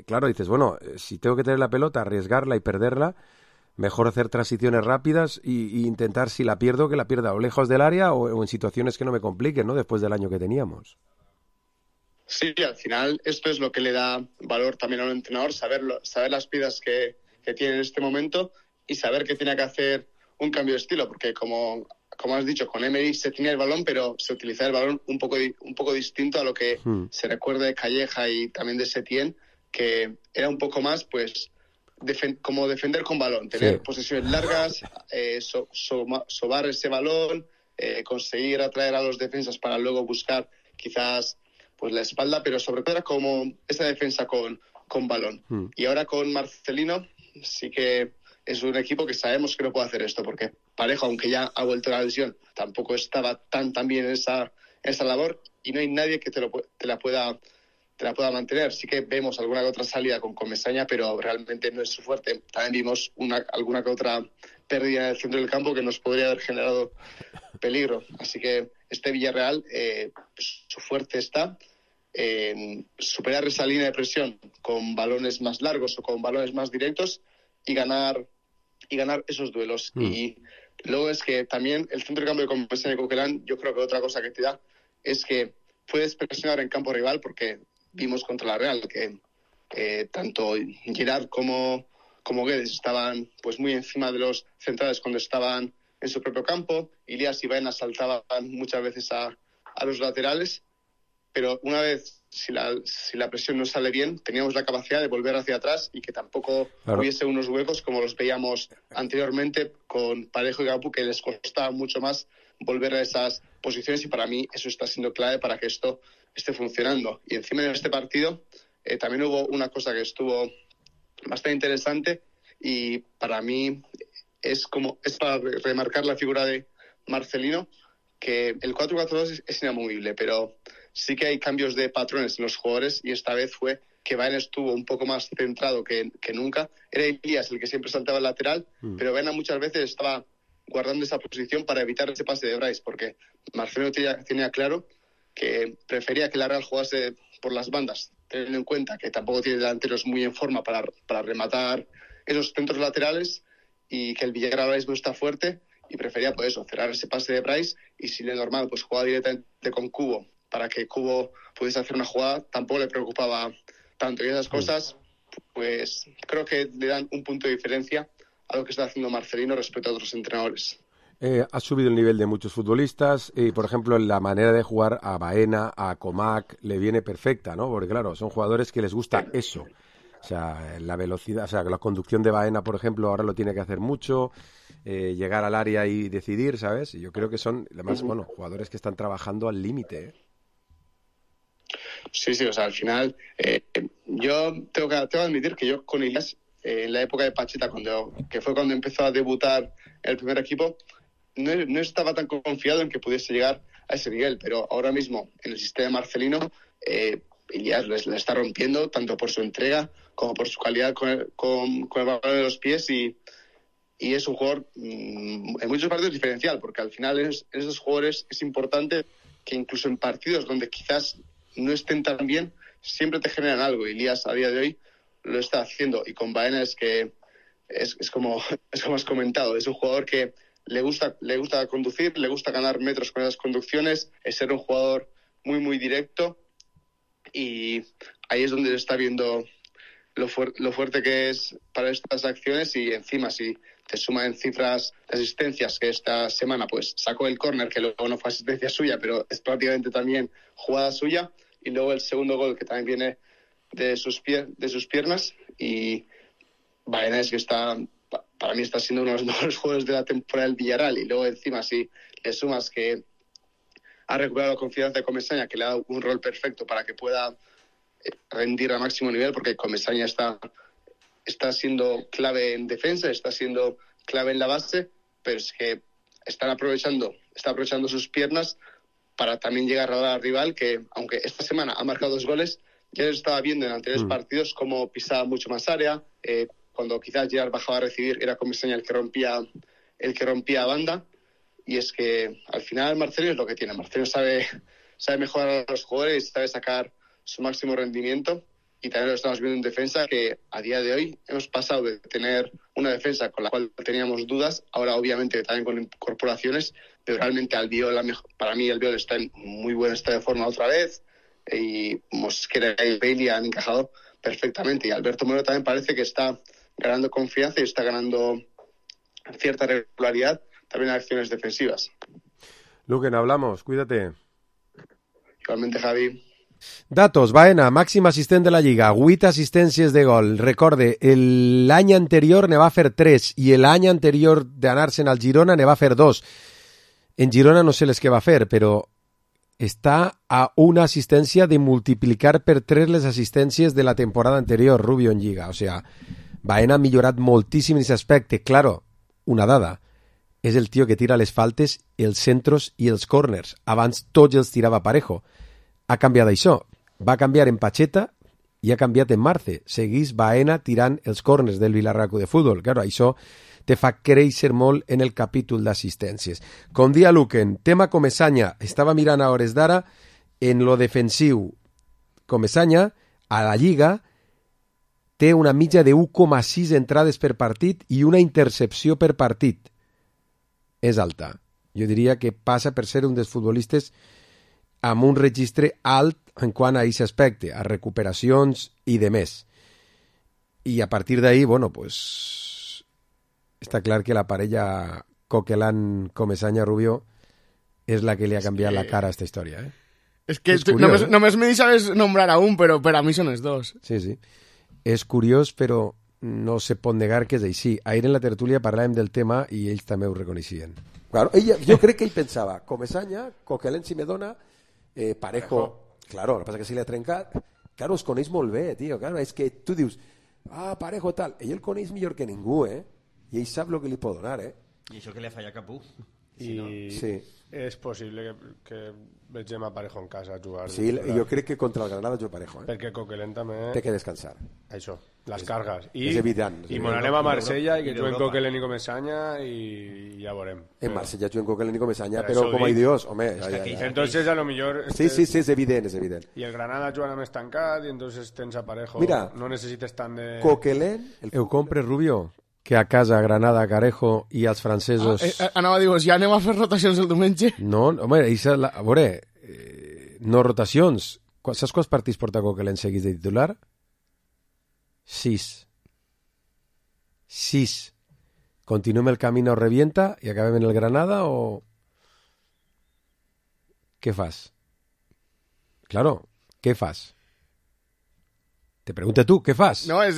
Claro, dices, bueno, si tengo que tener la pelota, arriesgarla y perderla, mejor hacer transiciones rápidas y intentar, si la pierdo, que la pierda o lejos del área o en situaciones que no me compliquen, ¿no? Después del año que teníamos. Sí, al final esto es lo que le da valor también a un entrenador, saber las piezas que tiene en este momento y saber que tiene que hacer un cambio de estilo, porque como has dicho, con Emery se tenía el balón, pero se utilizaba el balón un poco distinto a lo que se recuerda de Calleja y también de Setién, que era un poco más, pues, como defender con balón, tener posesiones largas, sobar ese balón, conseguir atraer a los defensas para luego buscar quizás pues la espalda, pero sobre todo era como esa defensa con balón. Y ahora con Marcelino sí que es un equipo que sabemos que no puede hacer esto, porque Parejo, aunque ya ha vuelto a la lesión, tampoco estaba tan bien en esa labor y no hay nadie que te la pueda mantener. Sí que vemos alguna que otra salida con Comesaña, pero realmente no es su fuerte. También vimos alguna que otra pérdida en el centro del campo que nos podría haber generado peligro. Así que este Villarreal, su fuerte está en superar esa línea de presión con balones más largos o con balones más directos y ganar esos duelos. Y luego es que también el centro de campo de Comesaña y Coquelin, yo creo que otra cosa que te da es que puedes presionar en campo rival, porque vimos contra la Real que tanto Gerard como Guedes estaban pues muy encima de los centrales cuando estaban en su propio campo. Ilias y Baena saltaban muchas veces a los laterales, pero una vez, si la presión no sale bien, teníamos la capacidad de volver hacia atrás y que tampoco hubiese unos huecos como los veíamos anteriormente con Parejo y Gapú, que les costaba mucho más volver a esas posiciones, y para mí eso está siendo clave para que esto esté funcionando. Y encima de este partido también hubo una cosa que estuvo bastante interesante y para mí es para remarcar la figura de Marcelino, que el 4-4-2 es inamovible, pero sí que hay cambios de patrones en los jugadores, y esta vez fue que Baena estuvo un poco más centrado que nunca. Era Elías el que siempre saltaba al lateral, pero Baena muchas veces estaba guardando esa posición para evitar ese pase de Brais, porque Marcelino tenía claro que prefería que la Real jugase por las bandas, teniendo en cuenta que tampoco tiene delanteros muy en forma para rematar esos centros laterales, y que el Villarreal no está fuerte, y prefería pues eso, cerrar ese pase de Brais, y si le normal pues jugaba directamente con Cubo para que Cubo pudiese hacer una jugada, tampoco le preocupaba tanto. Y esas cosas pues creo que le dan un punto de diferencia a lo que está haciendo Marcelino respecto a otros entrenadores. Ha subido el nivel de muchos futbolistas y, por ejemplo, la manera de jugar a Baena, a Comac, le viene perfecta, ¿no? Porque, claro, son jugadores que les gusta eso. O sea, la velocidad, o sea, la conducción de Baena, por ejemplo, ahora lo tiene que hacer mucho, llegar al área y decidir, ¿sabes? Y yo creo que son, además, bueno, jugadores que están trabajando al límite, ¿eh? Sí, o sea, al final, yo tengo que admitir que yo con Ilias, en la época de Pacheta, que fue cuando empezó a debutar el primer equipo, no estaba tan confiado en que pudiese llegar a ese nivel, pero ahora mismo en el sistema Marcelino Ilias le está rompiendo tanto por su entrega como por su calidad con el balón de los pies, y es un jugador en muchos partidos diferencial, porque al final en esos jugadores es importante que incluso en partidos donde quizás no estén tan bien, siempre te generan algo. Ilias a día de hoy lo está haciendo, y con Baena es que es como has comentado, es un jugador que le gusta conducir, le gusta ganar metros con esas conducciones, es ser un jugador muy muy directo, y ahí es donde se está viendo lo fuerte que es para estas acciones. Y encima si te suma en cifras de asistencias, que esta semana pues sacó el córner, que luego no fue asistencia suya, pero es prácticamente también jugada suya, y luego el segundo gol que también viene de sus piernas, y Baena es que para mí está siendo uno de los mejores jugadores de la temporada del Villarreal. Y luego encima si le sumas que ha recuperado la confianza de Comesaña, que le ha dado un rol perfecto para que pueda rendir a máximo nivel, porque Comesaña está siendo clave en defensa, está siendo clave en la base, pero es que está aprovechando sus piernas para también llegar a la rival, que aunque esta semana ha marcado 2 goles, ya lo estaba viendo en anteriores partidos cómo pisaba mucho más área. Cuando quizás Gerard bajaba a recibir, era Comesaña el que rompía banda. Y es que al final Marcelino es lo que tiene. Marcelino sabe mejorar a los jugadores, sabe sacar su máximo rendimiento. Y también lo estamos viendo en defensa, que a día de hoy hemos pasado de tener una defensa con la cual teníamos dudas, ahora obviamente también con incorporaciones, pero realmente Albiol, para mí Albiol está en muy buen estado de forma otra vez, y Mosquera y Bailey han encajado perfectamente, y Alberto Moreno también parece que está ganando confianza y está ganando cierta regularidad también en acciones defensivas. Luquen, hablamos, cuídate. Igualmente, Javi. Datos, Baena, màxim assistent de la Lliga, 8 assistències de gol. Recorde, l'any anterior ne va fer 3 i l'any anterior d'anar-se'n al Girona ne va fer 2. En Girona no sé les que va fer, però està a una assistència de multiplicar per 3 les assistències de la temporada anterior, Rubio, en Lliga. O sea, Baena ha millorat moltíssim en aquest aspecte. Claro, una dada, és el tio que tira les faltes, els centros i els corners. Abans tots els tirava Parejo. Ha canviat això. Va canviar en Pacheta i ha canviat en Marce. Seguís Baena tirant els corners del Villarreal de Futbol. Claro, això te fa créixer molt en el capítol d'assistències. Com dia Luquen, tema Comesaña. Estava mirant a hores d'ara en lo defensiu. Comesaña, a la Lliga, té una mitja de 1,6 entrades per partit i una intercepció per partit. És alta. Jo diria que passa per ser un dels futbolistes amb un registre alt en quant a aquest aspecte, a recuperacions i de més. I a partir d'ahí, bueno, pues està clar que la parella Coquelin-Comesaña-Rubio és la que li ha canviat la cara a esta història. És que només me deixaves nombrar a un, però per a mi són els dos. Sí, sí. És curiós, però no se pot negar que és així. Ahir en la tertúlia parlàvem del tema i ells també ho reconeixien. Claro, jo crec que ell pensava Comesaña, Coquelin si me dona, Parejo, claro, el que passa que si l'ha trencat, claro, els coneix molt bé, tio, claro, és que tu dius, Parejo tal, ell el coneix millor que ningú, i ell sap el que li pot donar, I això que li ha fallat Capú. Sí. És possible que vegem a Parejo en casa a jugar. Sí, jo crec que contra el Granada jo Parejo. Perquè Coquelin també... Té que descansar. Això, les cargues. És evident. I anem a Marsella i que juguen Coquelin i Comesaña i ja veurem. En Marsella juguen Coquelin i Comesaña, però com a Dios, home... Entonces a lo millor... Sí, és evident, és evident. I el Granada jugant més tancat i entonces tens a Parejo. Mira, no necessites tant de... Coquelin... Ho compres, Rubio? Que a casa, Granada, Carejo i els francesos... Anava a dir, ja anem a fer rotacions el diumenge? No, home, a veure, no rotacions. Saps quants partits porta Coquelin seguits de titular? 6. Continuem el camí, no revienta i acabem en el Granada o... Què fas? Claro, què fas? Te pregunta tu, què fas? No, és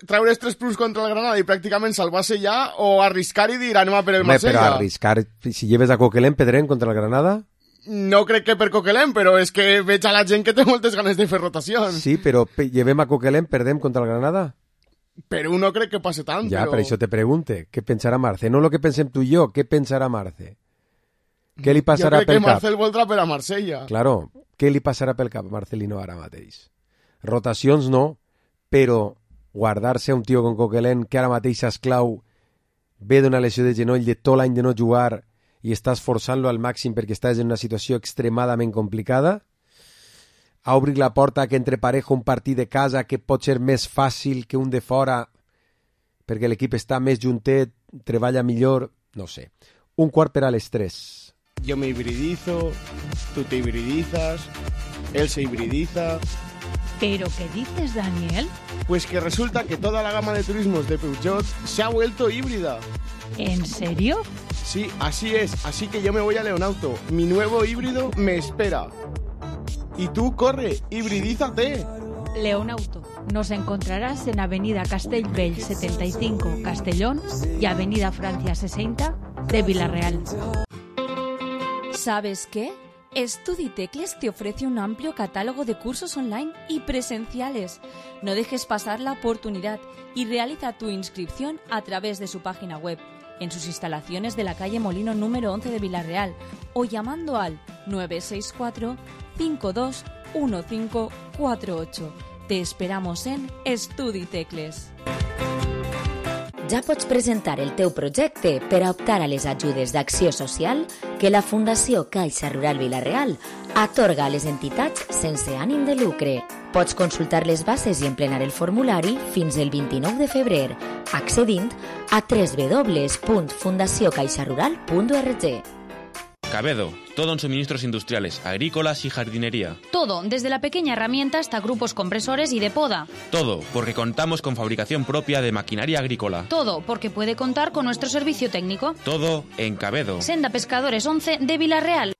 treure els 3 punts contra el Granada i pràcticament salvar-se ja o arriscar i dir anem a per el Marsella. Però arriscar, si lleves a Coquelin, perdrem contra el Granada? No crec que per Coquelin, però és que veig a la gent que té moltes ganes de fer rotacions. Sí, però llevem a Coquelin, perdem contra el Granada? Però no crec que passe tant. Ja, per això te pregunte, què pensarà Marce? No el que pensem tu i jo, què pensarà Marce? Què li passarà pel cap? Jo crec que Marcel voldrà per a Marsella. Claro, què li passarà pel cap a Marcelino ara mateix? Rotacions no, però guardar-se a un tio com Coquelin que ara mateix esclau ve d'una lesió de genoll de tot l'any de no jugar i estàs forçant-lo al màxim perquè estàs en una situació extremadament complicada, a obrir la porta que entre Parejo un partit de casa que pot ser més fàcil que un de fora perquè l'equip està més juntet, treballa millor, no sé. 1:45. Yo me hibridizo, tú te hibridizas, él se hibridiza... ¿Pero qué dices, Daniel? Pues que resulta que toda la gama de turismos de Peugeot se ha vuelto híbrida. ¿En serio? Sí, así es. Así que yo me voy a Leonauto. Mi nuevo híbrido me espera. Y tú, corre, hibridízate. Leonauto. Nos encontrarás en Avenida Castellbell 75, Castellón, y Avenida Francia 60 de Villarreal. ¿Sabes qué? StudiTecles te ofrece un amplio catálogo de cursos online y presenciales. No dejes pasar la oportunidad y realiza tu inscripción a través de su página web, en sus instalaciones de la calle Molino número 11 de Villarreal o llamando al 964 52 1548. Te esperamos en StudiTecles. Ja pots presentar el teu projecte per a optar a les ajudes d'Acció Social que la Fundació Caixa Rural Vila-real atorga a les entitats sense ànim de lucre. Pots consultar les bases i emplenar el formulari fins el 29 de febrer, accedint a www.fundaciocaixarural.org. Cabedo, todo en suministros industriales, agrícolas y jardinería. Todo, desde la pequeña herramienta hasta grupos compresores y de poda. Todo, porque contamos con fabricación propia de maquinaria agrícola. Todo, porque puede contar con nuestro servicio técnico. Todo en Cabedo. Senda Pescadores 11 de Vila-real.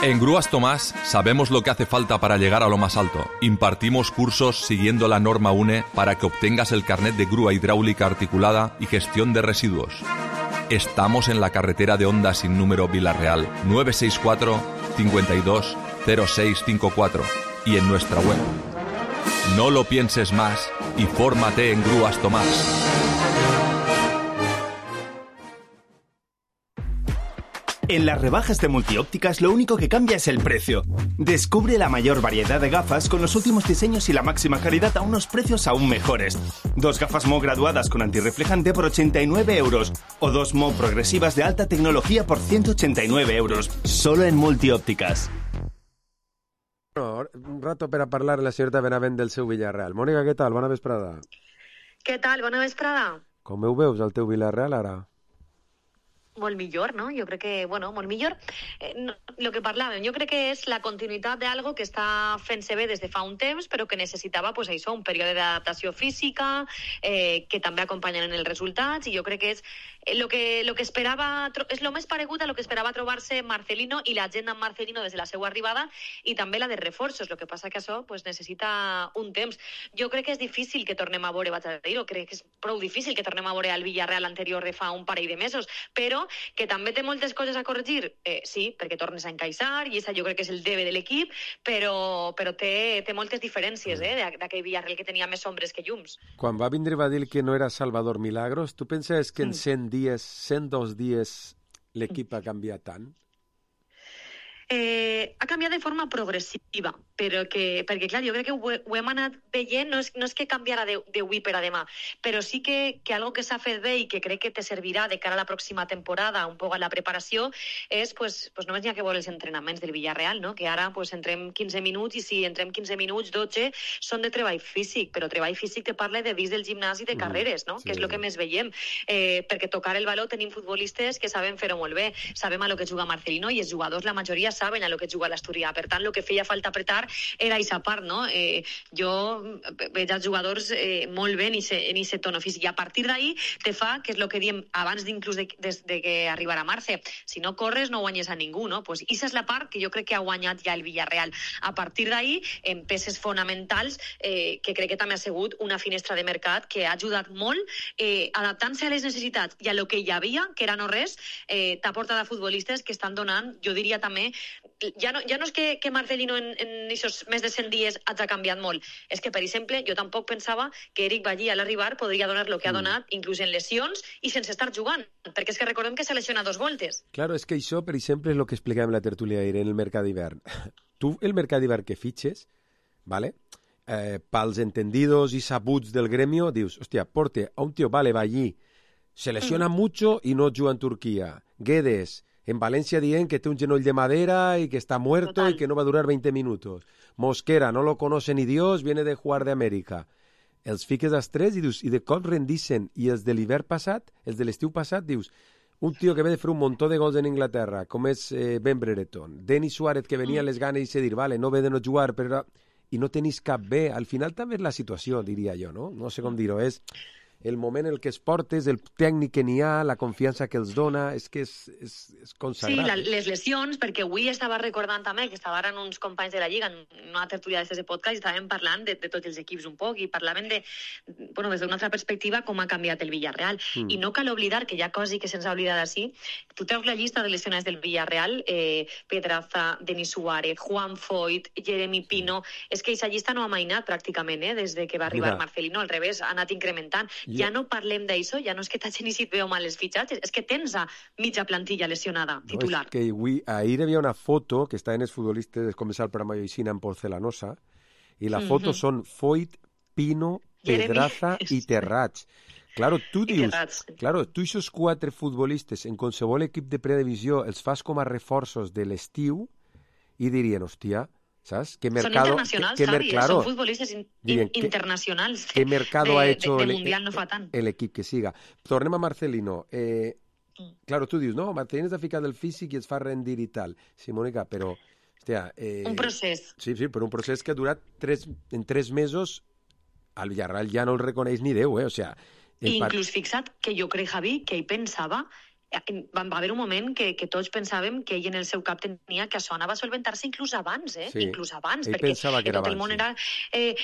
En Grúas Tomás sabemos lo que hace falta para llegar a lo más alto. Impartimos cursos siguiendo la norma UNE para que obtengas el carnet de grúa hidráulica articulada y gestión de residuos. Estamos en la carretera de Honda sin número Vila-real 964 52 0654 y en nuestra web. No lo pienses más y fórmate en Grúas Tomás. En las rebajas de Multiópticas lo único que cambia es el precio. Descubre la mayor variedad de gafas con los últimos diseños y la máxima calidad a unos precios aún mejores. 2 gafas Mo graduadas con antirreflejante por 89 euros o 2 Mo progresivas de alta tecnología por 189 euros. Solo en Multiópticas. Un rato per a parlar la senyora Benavent del seu Villarreal. Mònica, què tal? Bona vesprada. Què tal? Bona vesprada. Com ho veus, el teu Villarreal, ara? Molt millor, no? Jo crec que, bueno, molt millor. Lo que parlàvem, jo crec que és la continuïtat d'algo que està fent-se bé des de fa un temps, però que necessitava, pues, això, un període d'adaptació física, que també acompanyen en els resultats, i jo crec que és lo que esperava, és lo més paregut a lo que esperava trobar-se Marcelino i la gent amb Marcelino des de la seva arribada, i també la de reforços. Lo que passa que això, pues, necessita un temps. Jo crec que és difícil que tornem a veure, vaig a dir-ho, crec que és prou difícil que tornem a veure al Villarreal anterior de fa un parell de mesos, però que també té moltes coses a corregir, sí, perquè tornes a encaixar, i això jo crec que és el debe de l'equip, però té moltes diferències d'aquell Villarreal que tenia més ombres que llums. Quan va vindre va dir que no era Salvador Milagros, tu penses que en 102 dies l'equip ha canviat tant? Ha canviat de forma progressiva, perquè clar, jo crec que ho hem anat veient, no és que canviarà d'avui per a demà, però sí que algo que s'ha fet bé i que crec que te servirà de cara a la pròxima temporada, un poc a la preparació, és, pues només n'hi ha que veure els entrenaments del Villarreal, no? Que ara pues entrem 15 minuts, i si entrem 15 minuts, 12 són de treball físic, però treball físic te parla de dins del gimnàs i de carreres, no? Sí. Que és el que més veiem, perquè tocar el baló tenim futbolistes que saben fer-ho molt bé, sabem a lo que juga Marcelino, i els jugadors, la majoria, saben a lo que juga l'Asturià. Per tant, el que feia falta apretar era aquesta part, no? Jo veig els jugadors molt bé en aquest tono físic, i a partir d'ahí te fa, que és el que diem abans d'inclús de que arribarà Marce, si no corres no guanyes a ningú, no? Pues aquesta és la part que jo crec que ha guanyat ja el Villarreal. A partir d'ahí, en peces fonamentals, que crec que també ha sigut una finestra de mercat que ha ajudat molt, adaptant-se a les necessitats i a lo que hi havia, que era no res, t'ha portat a futbolistes que estan donant, jo diria també, ja no és que Marcelino en aquests més de 100 dies hagi canviat molt, és que, per exemple, jo tampoc pensava que Eric Ballí a l'arribar podria donar el que ha donat, inclús en lesions i sense estar jugant, perquè és que recordem que s'ha lesionat 2 voltes. Claro, és que això, per exemple, és el que explicàvem en la tertúlia ahir en el mercat d'hivern. Tu, el mercat d'hivern que fitxes, ¿vale? Pels entendidos i sabuts del gremio, dius, hòstia, porte a un tío, vale, Ballí, se lesiona mucho y no juga en Turquía. Guedes, en Valencia dicen que tiene un genoll de madera y que está muerto. Total. Y que no va a durar 20 minutos. Mosquera, no lo conoce ni Dios, viene de jugar de América. Els fiques als 3 i de cop rendixen. I els de l'hivern passat, els de l'estiu passat, dius, un tio que ve de fer un muntó de gols en Inglaterra, com és Ben Brereton, Denis Suárez, que venia a les ganes i dir, vale, no ve de no jugar, però... i no tenis cap bé. Al final també és la situació, diria jo, no? No sé com dir-ho, és el moment en el que es portes, el tècnic que n'hi ha, la confiança que els dona, és que és consagrat. Sí, les lesions, perquè avui estava recordant també que estaven uns companys de la Lliga en una tertúlia d'aquest podcast i estàvem parlant de tots els equips un poc i parlaven de, bueno, des d'una altra perspectiva, com ha canviat el Villarreal. I no cal oblidar, que hi ha cosa que se'ns ha oblidat així, tu treus la llista de lesionats del Villarreal, Pedraza, Denis Suárez, Juan Foyt, Jeremy Pino, és que aquesta llista no ha mainat pràcticament, des de que va arribar Marcelino, al revés, ha anat incrementant. Ja no parlem d'això, ja no és que t'hagin iniciat bé o mal els fitxatges, és que tens a mitja plantilla lesionada, titular. No, és que ahir hi havia una foto que estaven els futbolistes de començar el programa Lloixina en porcelanosa, i la foto són Foyt, Pino, Pedraza i Terrats. Claro, tu dius, tu aquests 4 futbolistes en qualsevol equip de predivisió els fas com a reforços de l'estiu i dirien, hòstia, saps? Son internacionals, Javi, son futbolistes internacionals. ¿Qué mercado ha hecho de Mundial no fa tant? El equip que siga? Tornem a Marcelino. Claro, tu dius, no, Marcelino està ficat del físic i es fa rendir i tal. Sí, Mònica, però... Hòstia, un procés. Sí, però un procés que ha durat en 3 mesos, al Villarreal ja no el reconeix ni Déu, o sea... Inclús fixa't que jo crec, Javi, que ell pensava... Va haver un moment que tots pensàvem que ell en el seu cap tenia que això anava a solventar-se inclús abans, Sí, inclús abans, ell perquè que tot el món era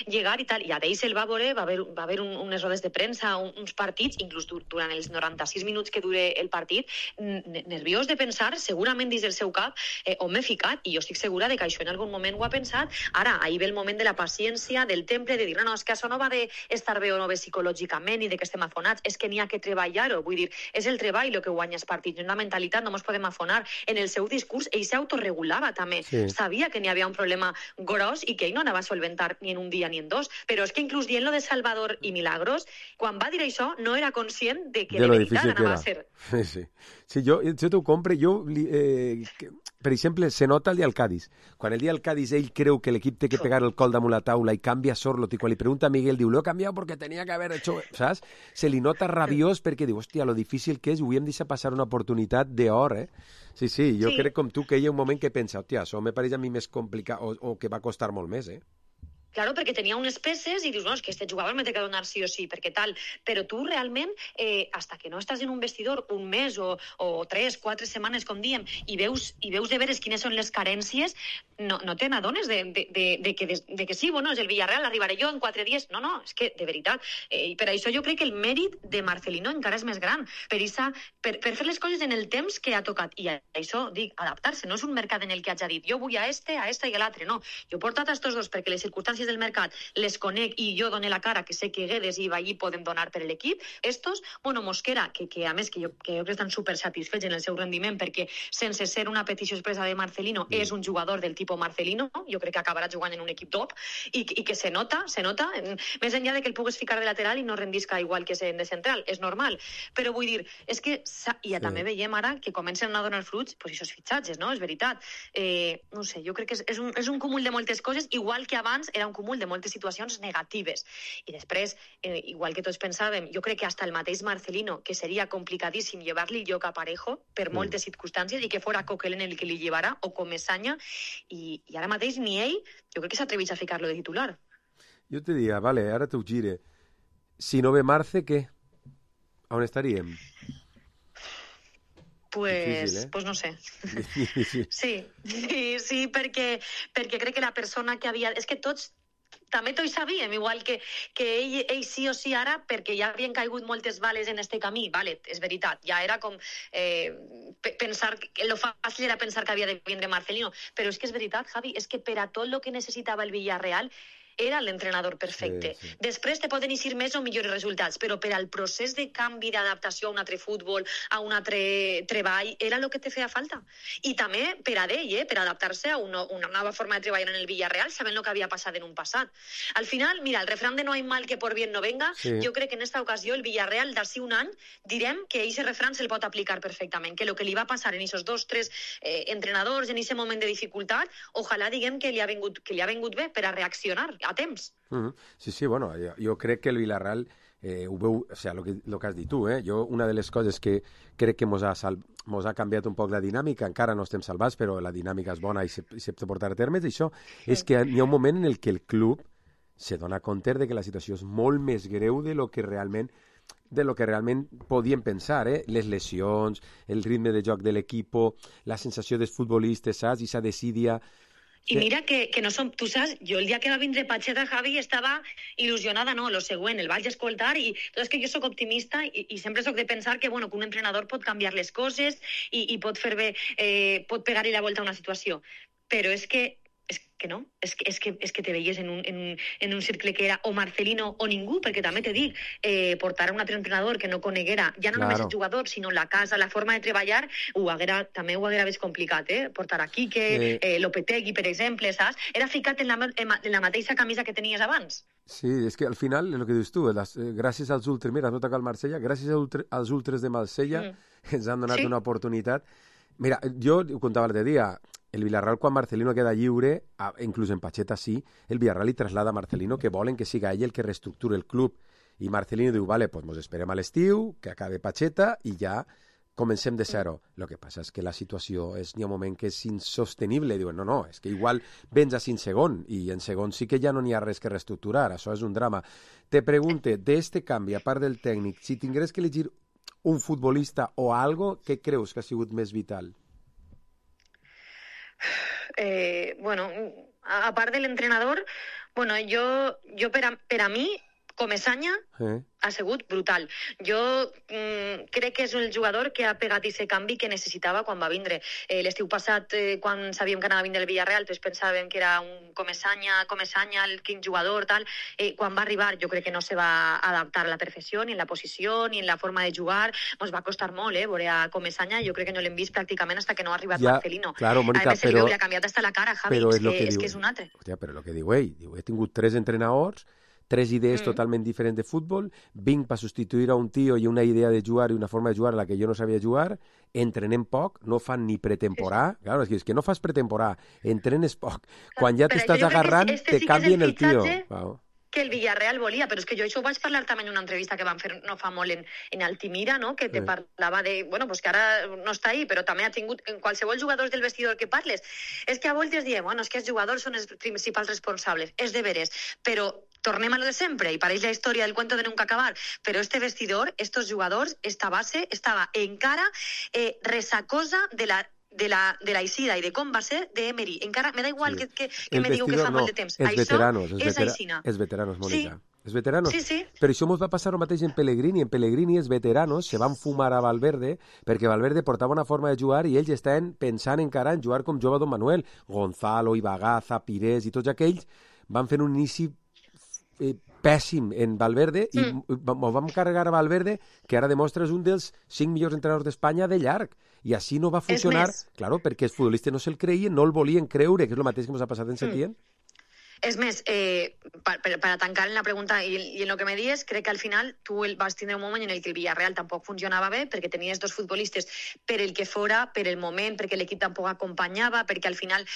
llegar i tal, i a d'ell se'l va veure, va haver unes rodes de premsa, uns partits, inclús durant els 96 minuts que dure el partit, nerviós de pensar, segurament dins del seu cap, on m'he ficat, i jo estic segura de que això en algun moment ho ha pensat. Ara, ahir ve el moment de la paciència, del temple, de dir, no, és que això no va d'estar bé o no bé psicològicament i de que estem afonats, és que n'hi ha que treballar-ho, vull dir, és el treball el que guanya els partits, és una mentalitat, no ens podem afonar. En el seu discurs, ell s'autoregulava també, sabia que n'hi havia un problema gros i que ell no anava a solventar ni en un dia ni en 2, però és que inclús dient lo de Salvador i Milagros, quan va dir això, no era conscient de que de veritat anava a ser. Sí, jo t'ho compre, per exemple, se nota el dia del Cádiz. Quan el dia del Cádiz ell creu que l'equip té que pegar el col damunt la taula i canvia Sorloth, i quan li pregunta a Miguel, diu, lo he cambiado porque tenía que haber hecho... ¿Saps? Se li nota rabiós perquè diu, hòstia, lo difícil que és, ho hem deixat passar una oportunitat d'or, Sí, jo crec com tu que hi ha un moment que pensa, hòstia, això me pareix a mi més complicat o que va costar molt més, Claro, perquè tenia unes peces i dius, no, és que este jugador me té que donar sí o sí, perquè tal. Però tu realment, hasta que no estàs en un vestidor un mes o 3, 4 setmanes, com diem, i veus de veres quines són les carències, no te n'adones de que sí, bueno, és el Villarreal, arribaré jo en 4 dies. No, és que, de veritat, per això jo crec que el mèrit de Marcelino encara és més gran, per fer les coses en el temps que ha tocat. I això, dic, adaptar-se, no és un mercat en el que hagi dit, jo vull a este i a l'altre, no. Jo he portat a estos dos perquè les circumstàncies del mercat les conec i jo doné la cara, que sé que Guedes i Vallí poden donar per l'equip. Estos, bueno, Mosquera, que a més que jo crec que estan super satisfets en el seu rendiment perquè sense ser una petició expressa de Marcelino és un jugador del tipus Marcelino, jo crec que acabarà jugant en un equip top i que se nota, més enllà de que el pugues ficar de lateral i no rendisca igual que de central, és normal, però vull dir, és que també veiem ara que comencen a donar fruits, pues aquests fitxatges, no? És veritat. No sé, jo crec que és un cúmul de moltes coses, igual que abans era un cúmul de moltes situacions negatives. I després, igual que tots pensàvem, jo crec que hasta el mateix Marcelino, que seria complicadíssim llevar-li el lloc a Parejo per moltes circumstàncies i que fora Coquelin el que li llevara, o com Messanya, i ara mateix ni ell, jo crec que s'atreveix a ficar-lo de titular. Jo te diria, vale, ara t'ho gire. Si no ve Marce, què? On estaríem? Pues no sé. Sí, perquè crec que la persona que havia... És que tots també tots sabíem, igual que ell sí o sí ara, perquè ja havien caigut moltes bales en este camí, vale, és veritat, ja era com pensar, lo fàcil era pensar que havia de vindre Marcelino, però és que és veritat, Javi, és que per a tot el que necessitava el Villarreal era l'entrenador perfecte. Sí. Després te poden eixir més o millors resultats, però per al procés de canvi, d'adaptació a un altre futbol, a un altre treball, era el que te feia falta. I també per a ell, per adaptar-se a una nova forma de treballar en el Villarreal, sabent el que havia passat en un passat. Al final, mira, el refrán de no hay mal que por bien no venga, jo crec que en esta ocasió el Villarreal, d'ací un any, direm que aquest refrán se'l pot aplicar perfectament, que el que li va passar en aquests 2, 3 entrenadors en aquest moment de dificultat, ojalà diguem que li ha vengut bé per a reaccionar a temps. Sí, bueno, jo crec que el Villarreal ho veu, o sigui, el que has dit tu, jo una de les coses que crec que mos ha canviat un poc la dinàmica, encara no estem salvats, però la dinàmica és bona i se pot portar a terme, això és que hi ha un moment en el que el club se dona compte de que la situació és molt més greu de lo que realment podíem pensar, les lesions, el ritme de joc de l'equip, la sensació dels futbolistes, saps? I s'ha desídia... I mira que no som... Tu saps, jo el dia que va vindre Pacheta, Javi, estava il·lusionada, no, lo següent, el vaig escoltar i tot és que jo sóc optimista i sempre sóc de pensar que, bueno, que un entrenador pot canviar les coses i pot fer bé, pot pegar-hi la volta a una situació. Però és que que no, és que te veies en un cercle que era o Marcelino o ningú, perquè també te dic, portar a un altre entrenador que no coneguera, ja no només el jugador, sinó la casa, la forma de treballar, també ho haguera vist complicat, portar a Quique, Lopetegui, per exemple, saps? Era ficat en la mateixa camisa que tenies abans. Sí, és que al final, el que dius tu, gràcies als ultres, mira, no toca el Marsella, gràcies als ultres de Marsella ens han donat una oportunitat. Mira, jo ho contava l'altre dia, el Villarreal, quan Marcelino queda lliure, inclús en Pacheta sí, el Villarreal li traslada a Marcelino que volen que siga ell el que reestructure el club. I Marcelino diu, vale, pues mos esperem a l'estiu, que acabe Pacheta i ja comencem de zero. Lo que passa és que la situació n'hi ha un moment que és insostenible. Diuen, no, és que igual vens a 5 segons i en segon sí que ja no n'hi ha res que reestructurar. Això és un drama. Te pregunte, d'este canvi, a part del tècnic, si tingués que elegir un futbolista o algo, què creus que ha sigut més vital? Bueno, a part de l'entrenador, bueno, jo per a mi, Comesaña ha sigut brutal. Jo crec que és el jugador que ha pegat aquest canvi que necessitava quan va vindre. L'estiu passat, quan sabíem que anava a vindre el Villarreal, tots pensàvem que era un Comesaña, quin jugador, tal. Quan va arribar, jo crec que no se va adaptar a la perfecció, ni en la posició, ni en la forma de jugar. Ens va costar molt, veure a Comesaña. Jo crec que no l'hem vist pràcticament fins que no ha arribat Marcelino. Claro, Mónica, a més, li ha canviat hasta la cara, Javi, és que és un altre. Hòstia, però el que diu ell, he tingut 3 entrenadors, 3 idees totalment diferents de futbol, vinc per substituir a un tio i una idea de jugar i una forma de jugar a la que jo no sabia jugar, entrenem poc, no fan ni pretemporà, claro, és que no fas pretemporà, entrenes poc, quan ja t'estàs agarrant te canvien el tio. Que el Villarreal volia, però és que jo això ho vaig parlar també en una entrevista que van fer no fa molt en Altimira, no? Que te parlava de, bueno, pues que ara no està ahí, però també ha tingut, en qualsevol jugador del vestidor que parles, és que a voltes diem, bueno, és que els jugadors són els principals responsables, és de veres, però tornem a lo de sempre, i pareix la història del cuento de nunca acabar, però este vestidor, estos jugadors, esta base, estava encara resacosa de la eixida i de com va ser d'Emery. Encara me da igual que me diu que fa molt de temps. Això és aixina. Els veteranos, Mónica. Els veteranos. Sí. Però això ens va passar el mateix en Pellegrini. En Pellegrini els veteranos se van fumar a Valverde perquè Valverde portava una forma de jugar i ells estaven pensant encara en jugar com jugava Don Manuel. Gonzalo, Ibagaza, Pires i tots aquells van fer un inici pèssim en Valverde i vam carregar a Valverde, que ara demostra és un dels 5 millors entrenadors d'Espanya de llarg, i així no va funcionar, claro, perquè els futbolistes no se'l creien, no el volien creure, que és el mateix que ens ha passat en Setién. És més, per a tancar en la pregunta i en el que me dies, crec que al final tu vas tindre un moment en el que el Villarreal tampoc funcionava bé, perquè tenies 2 futbolistes per el que fora, per el moment, perquè l'equip tampoc acompanyava, perquè al final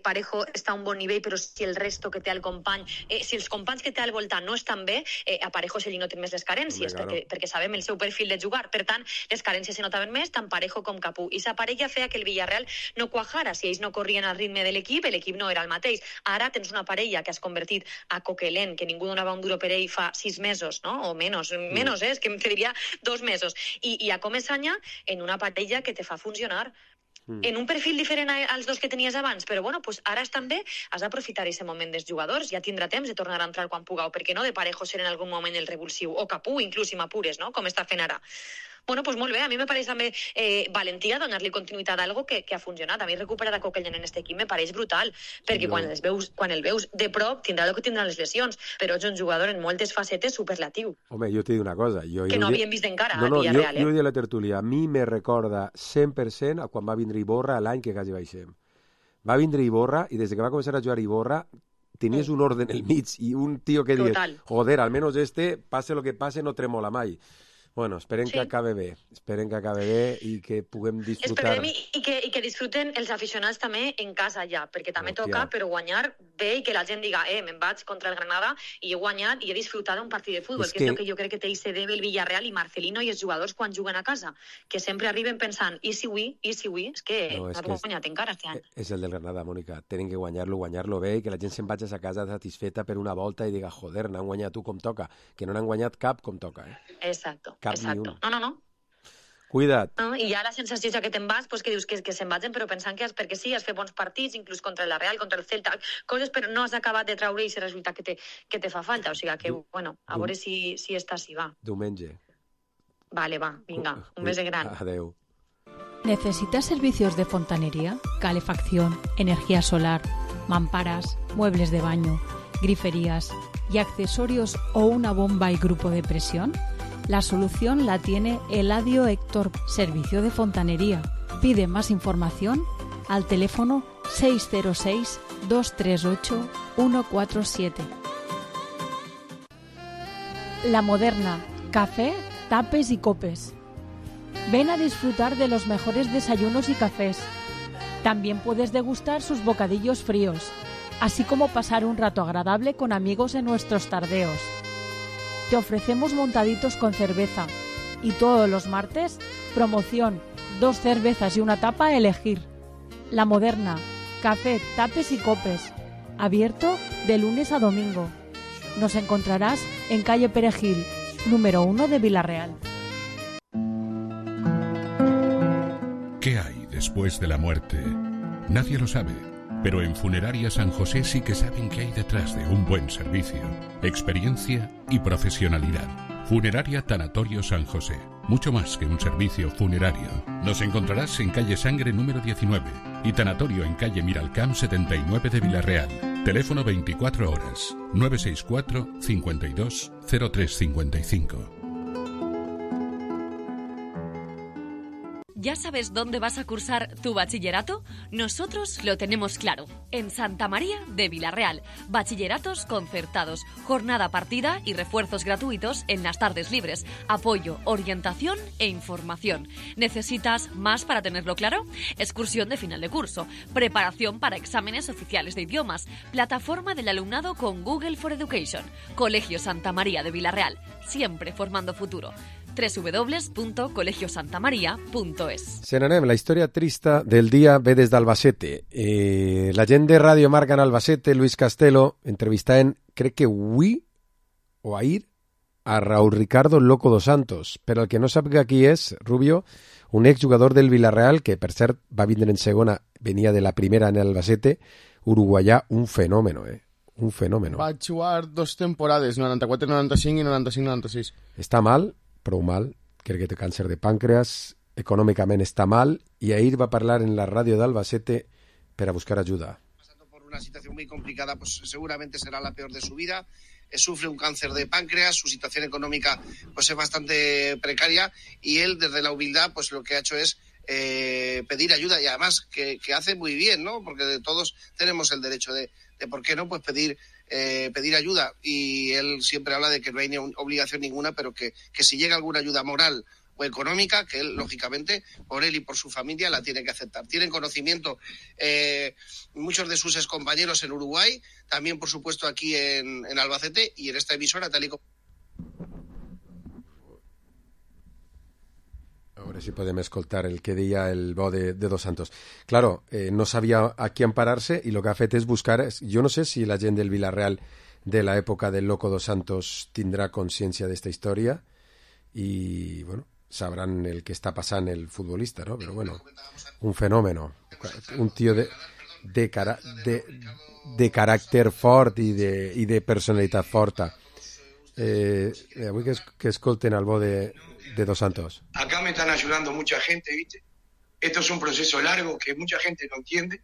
Parejo està a un bon nivell, però si el resto que té al company, si els companys que té al voltant no estan bé, a Parejo se li noten més les carències, perquè sabem el seu perfil de jugar. Per tant, les carències se notaven més, tant Parejo com Capú. I sa parella feia que el Villarreal no cuajara. Si ells no corrien al ritme de l'equip no era el mateix. Ara tens una parella que has convertit a Coquelin, que ningú donava un duro per ell fa 6 mesos, no? O menys, és que em diria 2 mesos. I a Comesaña en una parella que te fa funcionar en un perfil diferent als 2 que tenies abans, però bueno, pues ara també has d'aprofitar aquest moment dels jugadors, ja tindrà temps de tornar a entrar quan pugueu, perquè no de Parejo ser en algun moment el revulsiu, o Capú, inclús si m'apures, no? Com està fent ara. Bueno, pues molt bé, a mi me pareix també valentia donar-li continuïtat a algo que ha funcionat. A mi recuperar a Coquelin en aquest equip me pareix brutal, perquè quan el veus de prop tindrà el que tindran les lesions, però és un jugador en moltes facetes superlatiu. Home, jo t'he dit una cosa. Que no havíem vist encara a Villarreal. Jo he dit a la tertúlia, a mi me recorda 100% a quan va vindre Iborra l'any que quasi baixem. Va vindre Iborra i des que va començar a jugar Iborra tenies un orden al mig i un tio que dius, joder, almenys passe lo que passe, no tremola mai. Bueno, esperem que acabe bé. Esperem que acabe bé i que puguem disfrutar. Esperem i que disfruten els aficionats també en casa ja, perquè també toca, però guanyar bé i que la gent diga, me'n vaig contra el Granada i he guanyat i he disfrutat d'un partit de futbol, que és el que jo crec que té i debe el Villarreal i Marcelino i els jugadors quan juguen a casa, que sempre arriben pensant, i si avui, és que no has guanyat encara este any. És el del Granada, Mònica. Tenen que guanyar-lo bé i que la gent se'n vagi a casa satisfeta per una volta i diga, joder, n'han guanyat tu com toca, que no n'han guanyat cap com toca. Exacto. Exacto. No. Cuida't. No, i ja la sensació és que te'n vas, pues que dius que se'n vagin, però pensant que perquè sí, has fet bons partits, inclús contra la Real, contra el Celta, coses, però no has acabat de traure i resultat que te fa falta. O sigui que, bueno, a veure si està així, va. Diumenge. Vale, va, vinga, un beso gran. Adeu. ¿Necesitas servicios de fontanería, calefacción, energía solar, mamparas, muebles de baño, griferías y accesorios o una bomba y grupo de presión? La solución la tiene Eladio Héctor, servicio de fontanería. Pide más información al teléfono 606-238-147. La Moderna, café, tapes y copes. Ven a disfrutar de los mejores desayunos y cafés. También puedes degustar sus bocadillos fríos, así como pasar un rato agradable con amigos en nuestros tardeos. Te ofrecemos montaditos con cerveza y todos los martes, promoción, 2 cervezas y una tapa a elegir. La Moderna, café, tapes y copes, abierto de lunes a domingo. Nos encontrarás en calle Perejil, número 1 de Villarreal. ¿Qué hay después de la muerte? Nadie lo sabe, pero en Funeraria San José sí que saben qué hay detrás de un buen servicio, experiencia y profesionalidad. Funeraria Tanatorio San José, mucho más que un servicio funerario. Nos encontrarás en calle Sangre número 19 y Tanatorio en calle Miralcamp 79 de Villarreal. Teléfono 24 horas, 964 52 0355. ¿Ya sabes dónde vas a cursar tu bachillerato? Nosotros lo tenemos claro. En Santa María de Villarreal. Bachilleratos concertados, jornada partida y refuerzos gratuitos en las tardes libres. Apoyo, orientación e información. ¿Necesitas más para tenerlo claro? Excursión de final de curso. Preparación para exámenes oficiales de idiomas. Plataforma del alumnado con Google for Education. Colegio Santa María de Villarreal. Siempre formando futuro. www.colegiosantamaria.es. Se n'anem. La història trista del dia ve des d'Albacete. La gent de Ràdio Marca en Albacete, Luis Castelo, entrevistant, crec que avui o ahir, a Raúl Ricardo Loco dos Santos. Per al que no sàpiga qui és, Rubio, un exjugador del Villarreal, que per cert va vindre en segona, venia de la primera en Albacete, uruguaià, un fenòmeno, un fenòmeno. Va jugar 2 temporades, 94-95 i 95-96. Està mal, prou mal, crec que té càncer de pàncreas, econòmicament està mal, i ahir va parlar en la ràdio d'Albacete per a buscar ajuda. Por una situación muy complicada, pues seguramente será la peor de su vida. Sufre un cáncer de páncreas, su situación económica pues es bastante precaria y él desde la humildad pues lo que ha hecho es pedir ayuda y además que hace muy bien, ¿no? Porque todos tenemos el derecho de ¿por qué no? Pues pedir ayuda y él siempre habla de que no hay obligación ninguna, pero que si llega alguna ayuda moral o económica, que él, lógicamente, por él y por su familia, la tiene que aceptar. Tienen conocimiento muchos de sus excompañeros en Uruguay, también, por supuesto, aquí en Albacete y en esta emisora, tal y como... A veure si podem escoltar el que deia el bo de Dos Santos. Claro, no sabia a qui emparar-se i el que ha fet és buscar... Jo no sé si la gent del Villarreal de l'època del Loco Dos Santos tindrà consciència d'esta història i, bueno, sabran el que està passant el futbolista, ¿no? Però, bueno, un fenòmeno. Un tio de caràcter fort i de personalitat forta. Avui que escolten el bo de Dos Santos. Acá me están ayudando mucha gente, ¿viste? Esto es un proceso largo que mucha gente no entiende.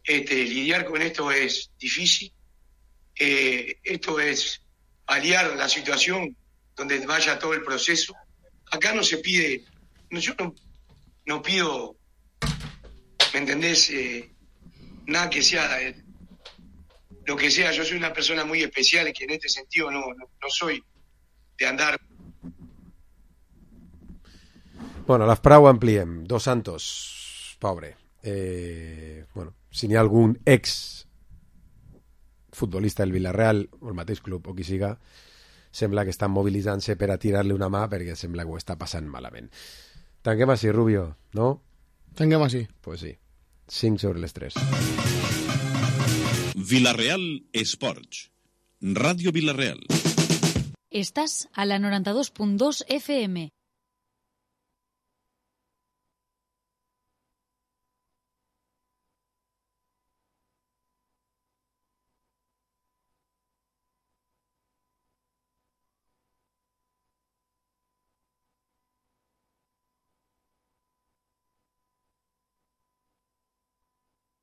Lidiar con esto es difícil. Esto es paliar la situación donde vaya todo el proceso. Acá no se pide, yo no pido, ¿me entendés? Nada que sea lo que sea. Yo soy una persona muy especial que en este sentido no soy de andar. Bueno, la prou ampliem. Dos Santos, pobre. Bueno, si n'hi ha algun ex futbolista del Villarreal o el mateix club o qui siga, sembla que estan mobilitzant-se per a tirar-li una mà perquè sembla que ho està passant malament. Tanquem així, Rubio, ¿no? Tanquem així. Pues sí. 5 sobre les 3. Villarreal Esports. Ràdio Villarreal. Estás a la 92.2 FM.